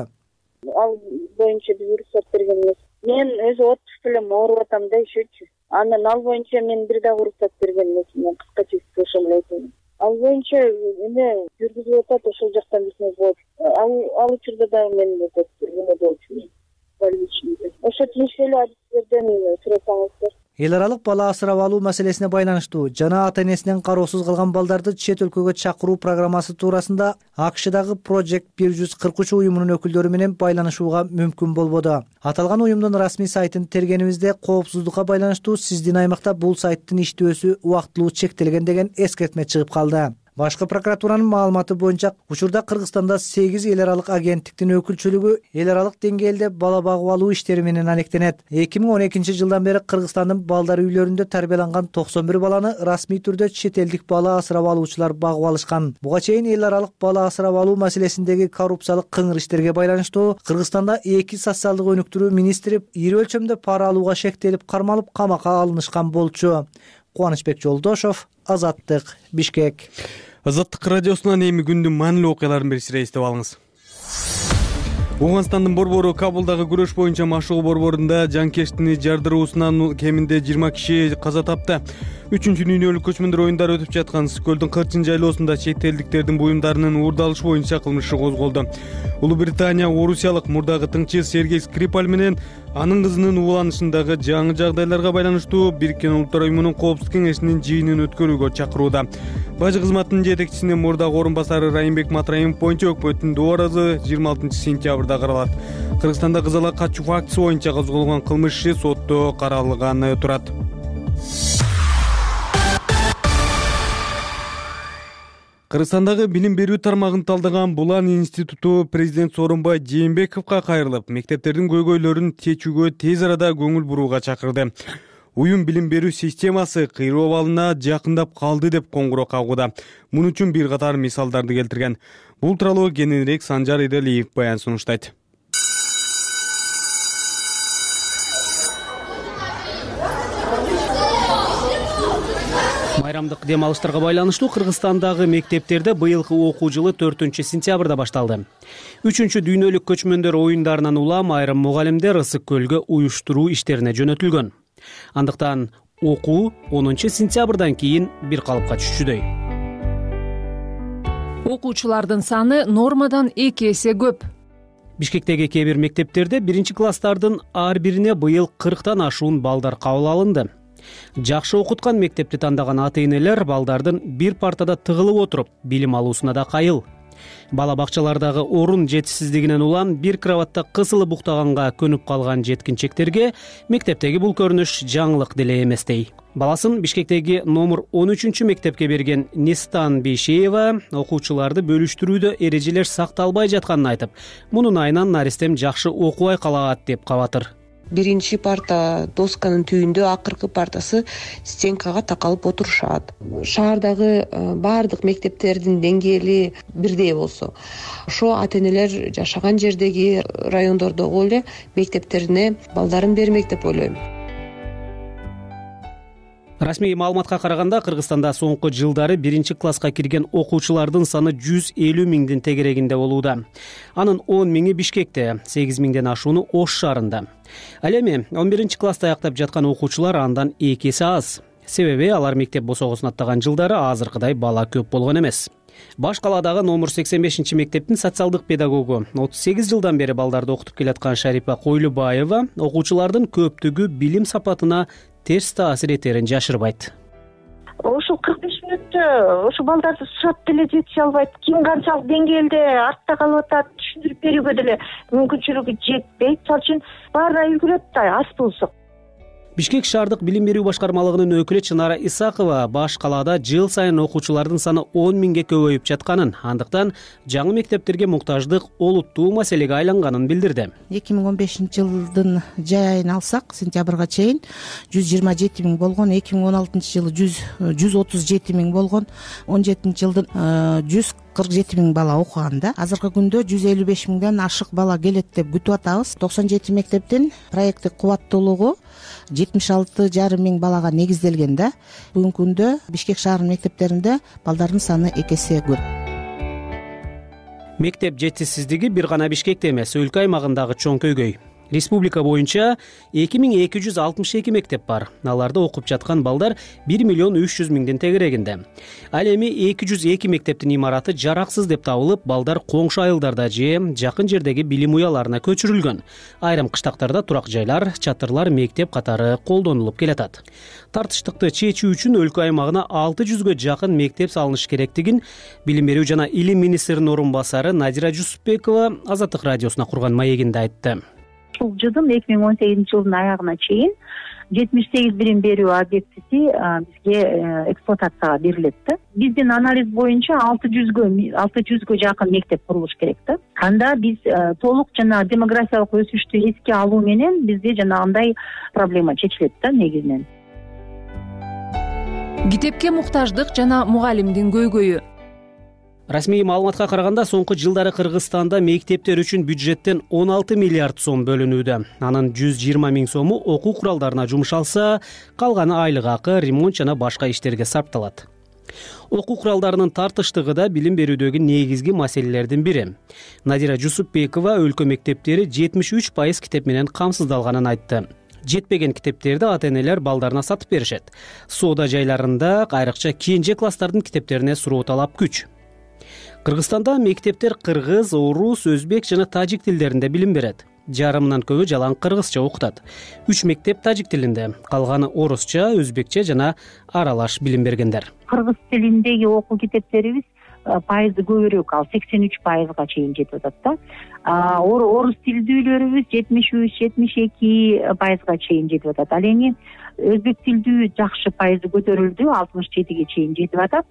Ал боюнча биз уруксат берген эмес. Мен өзү отпуск менен ооруп атам да ишечи. Анан ал боюнча мен бир дагы уруксат берген эмесмин. Кыскача ошол эле айтайын. Ал боюнча эме жүргүзүлүп атат, ошол жактан билсеңиз болот. Ал учурда дагы мен эме болчумун. Ошо тиешелүү адистерден сурасаңыздар. Эл аралык бала асырап алуу маселесине байланыштуу жана ата-энесинен кароосуз калган балдарды чет өлкөгө чакыруу программасы туурасында АКШдагы Project 143 уюмунун өкүлдөрү менен байланышууга мүмкүн болбоду. Аталган уюмдун расмий сайтын тергенибизде коопсуздукка байланыштуу сиздин аймакта бул сайттын иштөөсү убактылуу чектелген деген эскертме чыгып калды. Башкы прокуратуранын маалыматы боюнча учурда Кыргызстанда 8 эл аралык агенттиктин өкүлчүлүгү эл аралык деңгээлде бала багып алуу иштери менен алектенет. 2012 жылдан бери Кыргызстандын балдар үйлөрүндө тарбияланган 91 баланы расмий түрдө чет элдик бала асырап алуучулар багып алышкан. Буга чейин эл аралык бала асырап алуу маселесиндеги коррупциялык кыңыр иштерге байланыштуу Кыргызстанда 2 социалдык өнүктүрүү министри ири өлчөмдө пара алууга шектелип кармалып камакка алынышкан болчу. Кубанычбек Жолдошов, Азаттык, Бишкек. Азаттык радиосунан эми күндүн маанилүү окуяларын беришире эстеп алыңыз. Ооганстандын борбору Кабулдагы күрөш боюнча машыгуу борборунда жанкештини жардыруусунан кеминде 20 киши каза тапты. 3-дүйнөлүк көчмөндөр оюндары өтүп жаткан Көлдүн Кырчын жайлоосунда чет элдиктердин буюмдарынын уурдалышы боюнча кылмыш иши козголду. Улуу Британия орусиялык мурдагы тыңчы Сергей Скрипаль менен анын кызынын ууланышындагы жаңы жагдайларга байланыштуу Бириккен Улуттар Уюмунун Коопсуздук кеңешинин жыйынын өткөрүүгө чакырууда. Бажы кызматынын жетекчисинин мурдагы орун басары Райымбек Матраимов боюнча өкмөттүн дооразы 26 сентябрда каралат. Кыргызстанда кызылга качуу фактысы боюнча козголгон кылмыш иши сотто каралганы турат. Кыргызстандагы билим берүү тармагын талдаган Булан институту президент Сооронбай Жээнбековго кайрылып, мектептердин көйгөйлөрүн чечүүгө тез арада көңүл бурууга чакырды. Уюм билим берүү системасы кыйроо абалына жакындап калды деп коңгуроо кагууда. Мун үчүн бир катар мисалдарды келтирген. Бул тууралуу кененирээк Санжар Иделиев баян сунуштайт. Майрамдык дем алыштарга байланыштуу Кыргызстандагы мектептерде быйылкы окуу жылы 4-сентябрда башталды. 3-дүйнөлүк көчмөндөр оюндарынан улам айрым мугалимдер Ысык көлгө уюштуруу иштерине жөнөтүлгөн. Андыктан окуу 10-сентябрдан кийин бир калыпка түшчүдөй. Окуучулардын саны нормадан 2 эсе көп. Бишкектеги кээ бир мектептерде 1-класстардын ар бирине быйыл 40тан ашуун балдар кабыл алынды. Жакшы окуткан мектепти тандаган ата-энелер балдардын бир партада тыгылып отуруп билим алуусуна да кайыл. Бала бакчалардагы орун жетишсиздигинен улам бир кроватта кысылып уктаганга көнүп калган жеткинчектерге мектептеги бул көрүнүш жаңылык деле эместей. Баласын Бишкектеги номер 13 мектепке берген Нистан Бейшеева окуучуларды бөлүштүрүүдө эрежелер сакталбай жатканын айтып, мунун айынан наристем жакшы окубай калат деп кабатыр. биринчи парта досканын түбүндө, акыркы партасы стенкага такалып отурушат. Шаардагы баардык мектептердин деңгээли бирдей болсо, ошо ата-энелер жашаган жердеги райондордогу эле мектептерине балдарын бермек деп ойлойм. Расмий маалыматка караганда Кыргызстанда соңку жылдары 1-класска кирген окуучулардын саны 150 миңдин тегерегинде болууда. Анын 10 миңи Бишкекте, 8 миңден ашууну Ош шаарында. Ал эми 11-класста аяктап жаткан окуучулар андан 2 эсе аз. Себеби алар мектеп босогосун аттаган жылдары азыркыдай бала көп болгон эмес. Баш калаадагы номер 85 мектептин социалдык педагогу 38 жылдан бери балдарды окутуп келаткан Шарипа Койлубаева окуучулардын көптүгү билим сапатына терс таасир этерин жашырбайт. Ошо 45 мүнөттө ошо балдарды сурап деле жетише албайт. Ким канчалык деңгээлде артта калып атат, түшүндүрүп берүүгө деле мүмкүнчүлүгү жетпейт. Ал үчүн баарына үлгүрөт да, аз болсо. Бишкек шаардык билим берүү башкармалыгынын өкүлү Чынара Исакова баш калаада жыл сайын окуучулардын саны 10 миңге көбөйүп жатканын, андыктан жаңы мектептерге муктаждык олуттуу маселеге айланганын билдирди. 2015-жылдын жай айын алсак, сентябрга чейин 127 миң болгон, 2016-жылы 137 миң болгон, 17-жылдын 147 миң бала окуганда, азыркы күндө 155 миңден ашык бала келет деп күтүп атабыз. 97 мектептин проекттик кубаттуулугу 76,5 миң балага негизделген да. Бүгүнкү күндө Бишкек шаарынын мектептеринде балдардын саны 2 эсе көп. Мектеп жетишсиздиги бир гана Бишкекте эмес, өлкө аймагындагы чоң көйгөй. Республика боюнча 2262 мектеп бар. Аларда окуп жаткан балдар 1 миллион 300 миңдин тегерегинде. Ал эми 202 мектептин имараты жараксыз деп табылып, балдар коңшу айылдарда же жакын жердеги билим уяларына көчүрүлгөн. Айрым кыштактарда турак жайлар, чатырлар мектеп катары колдонулуп келатат. Тартыштыкты чечүү үчүн өлкө аймагына 600гө жакын мектеп салыныш керектигин Билим берүү жана илим министринин орун басары Надира Жусупбекова Азаттык радиосуна курган маегинде айтты. Ушул жылдын 2018 жылдын аягына чейин 78 билим берүү объектиси бизге эксплуатацияга берилет да. Биздин анализ боюнча 600гө жакын мектеп курулуш керек да. Анда биз толук жана демографиялык өсүштү эске алуу менен бизде жанагындай проблема чечилет да негизинен. Китепке муктаждык жана мугалимдин көйгөйү. Расмий маалыматка караганда соңку жылдары Кыргызстанда мектептер үчүн бюджеттен 16 миллиард сом бөлүнүүдө. Анын 120 миң сому окуу куралдарына жумшалса, калганы айлык акы, ремонт жана башка иштерге сарпталат. Окуу куралдарынын тартыштыгы да билим берүүдөгү негизги маселелердин бири. Надира Жусупбекова өлкө мектептери 73% китеп менен камсыздалганын айтты. Жетпеген китептерди ата-энелер балдарына сатып беришет. Соода жайларында айрыкча кийинче класстардын китептерине суроо талап күч. Кыргызстанда мектептер кыргыз, орус, өзбек жана тажик тилдеринде билим берет. Жарымынан көбү жалаң кыргызча окутат. 3 мектеп тажик тилинде, калганы орусча, өзбекче жана аралаш билим бергендер. Кыргыз тилиндеги окуу китептерибиз пайызы көбүрөөк, ал 83%га чейин жетип атат да. Орус тилдүүлөрүбүз 73-72%га чейин жетип атат. Ал эми өзбек тилдүү жакшы пайызы көтөрүлдү, 67-ге чейин жетип атат.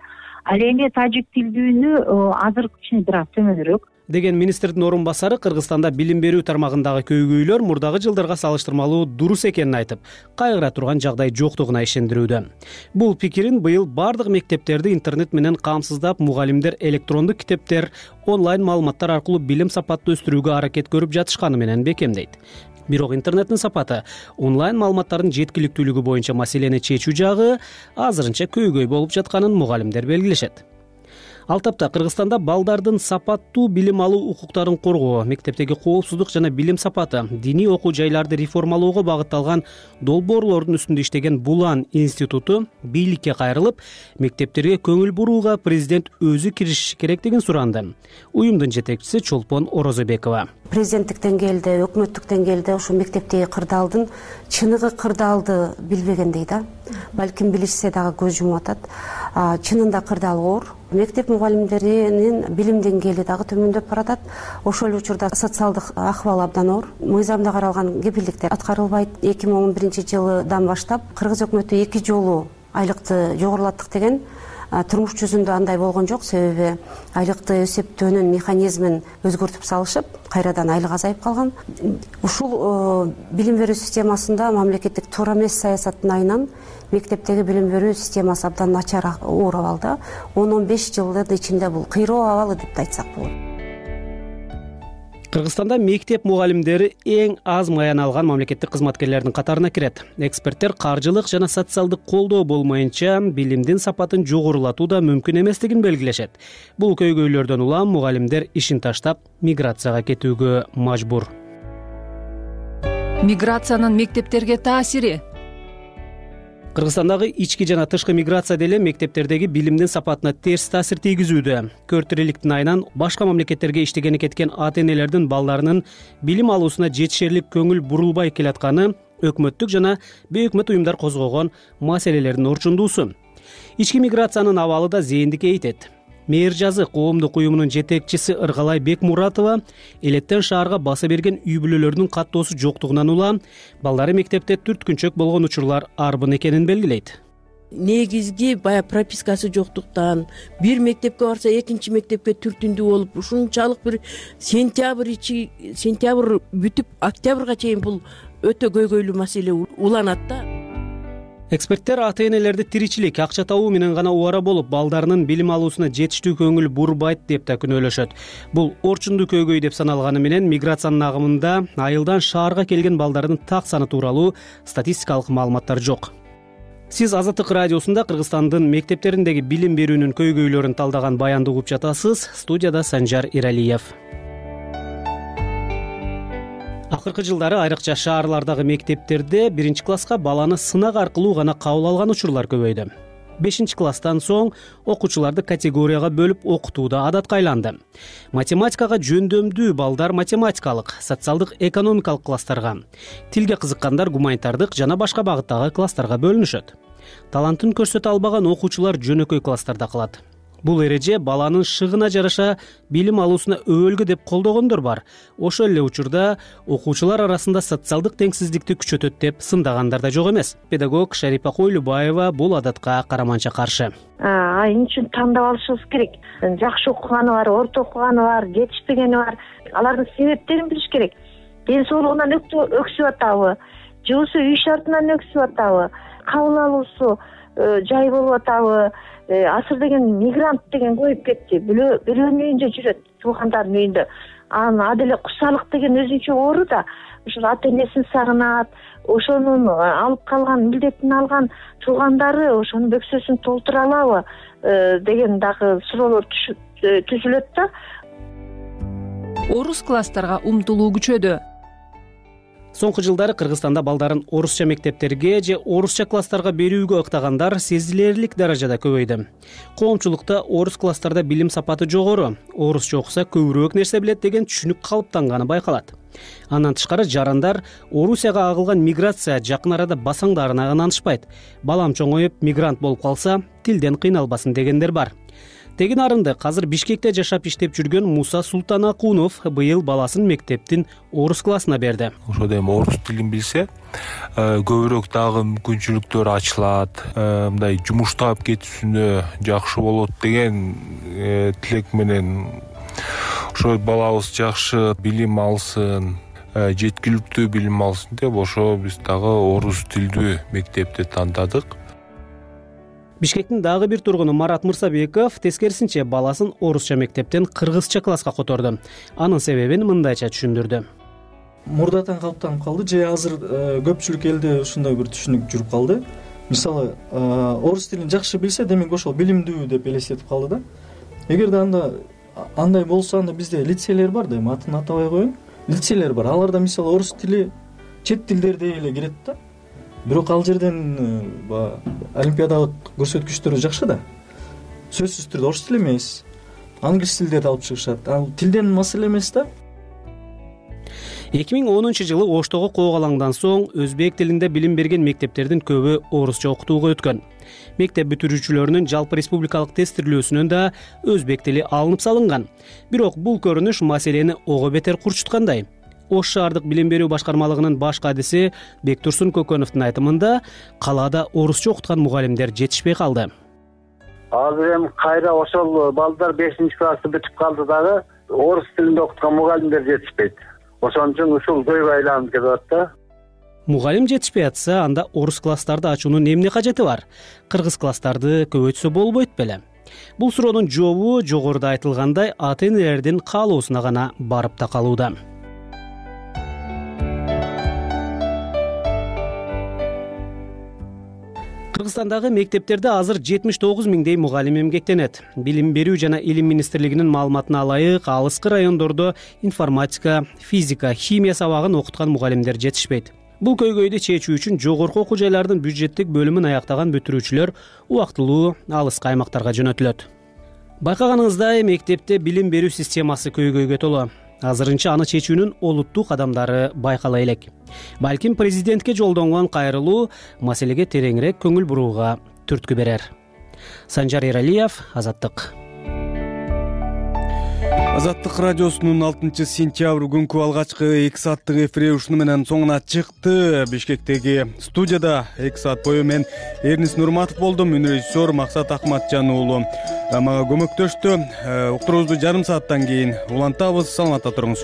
Ал эми тажик тилдүүнү азыр кичине бир аз төмөнүрөөк деген министрдин орун басары Кыргызстанда билим берүү тармагындагы көйгөйлөр мурдагы жылдарга салыштырмалуу дурус экенин айтып, кайгыра турган жагдай жоктугуна ишендирүүдө. Бул пикирин быйыл бардык мектептерди интернет менен камсыздап, мугалимдер электрондук китептер, онлайн маалыматтар аркылуу билим сапатын өстүрүүгө аракет көрүп жатышканы менен бекемдейт. Бирок интернеттин сапаты, онлайн маалыматтардын жеткиликтүүлүгү боюнча маселени чечүү жагы азырынча көйгөй болуп жатканын мугалимдер белгилешет. Ал тапта Кыргызстанда балдардын сапаттуу билим алуу укуктарын коргоо, мектептеги коопсуздук жана билим сапаты, диний окуу жайларды реформалоого багытталган долбоорлордун үстүндө иштеген Булан институту бийликке кайрылып, мектептерге көңүл бурууга президент өзү киришиши керектигин суранды. Уюмдун жетекчиси Чолпон Орозобекова. Президенттик деңгээлде, өкмөттүк деңгээлде ошо мектептеги кырдаалдын чыныгы кырдаалды билбегендей да. Балким билишсе дагы көз жумуп атат. Чынында кырдаал оор. Мектеп мугалимдеринин билим деңгээли дагы төмөндөп баратат. Ошол эле учурда социалдык акыбал абдан оор. Мыйзамда каралган кепилдиктер аткарылбайт. 2011-жылдан баштап Кыргыз өкмөтү 2 жолу айлыкты жогорулаттык деген турмуш жүзүндө андай болгон жок, себеби айлыкты эсептөөнүн механизмин өзгөртүп салышып, кайрадан айлык азайып калган. Ушул билим берүү системасында мамлекеттик туура эмес саясаттын айынан мектептеги билим берүү системасы абдан начар, оор абалда. 10-15 жылдын ичинде бул кыйроо абалы деп айтсак болот. Кыргызстанда мектеп мугалимдери эң аз маян алган мамлекеттик кызматкерлердин катарына кирет. Эксперттер каржылык жана социалдык колдоо болмоюнча билимдин сапатын жогорулатуу да мүмкүн эместигин белгилешет. Бул көйгөйлөрдөн улам мугалимдер ишин таштап миграцияга кетүүгө мажбур. Миграциянын мектептерге таасири. Кыргызстандагы ички жана тышкы миграция деле мектептердеги билимдин сапатына терс таасир тийгизүүдө. 4 айынан башка мамлекеттерге иштегени кеткен ата-энелердин балдарынын билим алуусуна жетишерлик көңүл бурулбай келатканы өкмөттүк жана бейөкмөт уюмдар козгогон маселелердин орчундуусу. Ички миграциянын абалы да зээндикке эйтет. Мээр жазык коомдук уюмунун жетекчиси Ыргалай Бекмуратова элеттен шаарга баса берген үй бүлөлөрдүн каттоосу жоктугунан улам балдары мектепте түрткүнчөк болгон учурлар арбын экенин белгилейт. Негизги баягы пропискасы жоктуктан бир мектепке барса экинчи мектепке түртүндүү болуп, ушунчалык бир сентябрь бүтүп октябрга чейин бул өтө көйгөйлүү маселе уланат да. Эксперттер ата-энелерди тиричилик, акча табуу менен гана убара болуп, балдарынын билим алуусуна жетиштүү көңүл бурбайт деп да күнөөлөшөт. Бул орчундуу көйгөй деп саналганы менен миграциянын агымында айылдан шаарга келген балдардын так саны тууралуу статистикалык маалыматтар жок. Сиз Азаттык радиосунда Кыргызстандын мектептериндеги билим берүүнүн көйгөйлөрүн талдаган баянды угуп жатасыз. Студияда Санжар Иралиев. Акыркы жылдары айрыкча шаарлардагы мектептерде 1-класска баланы сынак аркылуу гана кабыл алган учурлар көбөйдү. 5-класстан соң окуучуларды категорияга бөлүп окутуу да адатка айланды. Математикага жөндөмдүү балдар математикалык, социалдык, экономикалык класстарга, тилге кызыккандар гуманитардык жана башка багыттагы класстарга бөлүнүшөт. Талантын көрсөтө албаган окуучулар жөнөкөй класстарда калат. Бул эреже баланын шыгына жараша билим алуусуна өбөлгү деп колдогондор бар. Ошол эле учурда окуучулар арасында социалдык теңсиздикти күчөтөт деп сындагандар да жок эмес. Педагог Шарипа Койлубаева бул адатка караманча каршы. Эмне үчүн тандап алышыбыз керек? Жакшы окуганы бар, орто окуганы бар, жетишпегени бар. Алардын себептерин билиш керек. Ден соолугунан өксүп атабы, же болбосо үй шартынан өксүп атабы, кабыл алуусу жай болуп атабы? Асыр деген мигрант деген коюп кетти. Бирөөнүн үйүндө жүрөт, туугандардын үйүндө. Анан аделе кусалык деген өзүнчө оору да. Ошол ата-энесин сагынат, ошонун алып калган милдетин алган туугандары ошонун бөксөсүн толтура алабы деген дагы суроолор түзүлөт да. Орус класстарга умтулуу күчөдү. Соңку жылдары Кыргызстанда балдарын орусча мектептерге же орусча класстарга берүүгө ыктагандар сезилерлик даражада көбөйдү. Коомчулукта орус класстарда билим сапаты жогору, орусча окуса көбүрөөк нерсе билет деген түшүнүк калыптанганы байкалат. Андан тышкары жарандар Орусияга агылган миграция жакын арада басаңдарына ынанышпайт. Балам чоңоюп мигрант болуп калса, тилден кыйналбасын дегендер бар. Теги нарынды азыр Бишкекте жашап иштеп жүргөн Муса Султанакунов быйыл баласын мектептин орус классына берди. Ошо эми орус тилин билсе, көбүрөөк дагы мүмкүнчүлүктөр ачылат, мындай жумуш таап кетүүсүнө жакшы болот деген тилек менен ошо балабыз жакшы билим алсын, жеткиликтүү билим алсын деп ошо биз дагы орус тилдүү мектепти тандадык. Бишкектин дагы бир тургуну Марат Мырсабеков тескерисинче баласын орусча мектептен кыргызча класска которду. Анын себебин мындайча түшүндүрдү. Мурдатан калыптанып калды же азыр көпчүлүк элде ушундай бир түшүнүк жүрүп калды. Мисалы, орус тилин жакшы билсе, демек ошол билимдүү деп элестетип калды да. Эгерде андай болсо, анда бизде лицейлер бар да, атын атабай коеюн. Лицейлер бар. Аларда мисалы орус тили чет тилдердей эле кирет да. Бирок ал жерден олимпиадалык көрсөткүчтөрү жакшы да. Сөзсүз түрдө орус тили эмес, англис тилдерди алып чыгышат. Ал тилден маселе эмес да. 2010-жылы Оштогу коогалаңдан соң өзбек тилинде билим берген мектептердин көбү орусча окутууга өткөн. Мектеп бүтүрүүчүлөрүнүн жалпы республикалык тестирлөөсүнөн да өзбек тили алынып салынган. Бирок бул көрүнүш маселени ого бетер курчуткандай. Ош шаардык билим берүү башкармалыгынын баш кадиси Бектурсун Көкөновдун айтымында калаада орусча окуткан мугалимдер жетишпей калды. азыр эми кайра ошол балдар 5-классты бүтүп калды дагы орус тилинде окуткан мугалимдер жетишпейт. Ошон үчүн ушул көйгөй айланып келип атат да. Мугалим жетишпей атса, анда орус класстарды ачуунун эмне кажети бар? Кыргыз класстарды көбөйтсө болбойт беле? Бул суроонун жообу жогоруда айтылгандай ата-энелердин каалоосуна гана барып такалууда. Кыргызстандагы мектептерде азыр 79 миңдей мугалим эмгектенет. Билим берүү жана илим министрлигинин маалыматына ылайык, алыскы райондордо информатика, физика, химия сабагын окуткан мугалимдер жетишпейт. Бул көйгөйдү чечүү үчүн жогорку окуу жайлардын бюджеттик бөлүмүн аяктаган бүтүрүүчүлөр убактылуу алыскы аймактарга жөнөтүлөт. Байкаганыңыздай, мектепте билим берүү системасы көйгөйгө толо. Азырынча аны чечүүнүн олуттуу кадамдары байкала элек. Балким президентке жолдонгон кайрылуу маселеге тереңирээк көңүл бурууга түрткү берер. Санжар Эралиев, Азаттык. Азаттык радиосунун 6-сентябрь күнкү алгачкы 2 сааттык эфири ушуну менен соңуна чыкты. Бишкектеги студияда 2 саат бою мен Эрнис Нурматов болдум, режиссер Максат Акматжан уулу мага көмөктөштү. Уктуруубузду жарым сааттан кийин улантабыз. Саламатта туруңуз.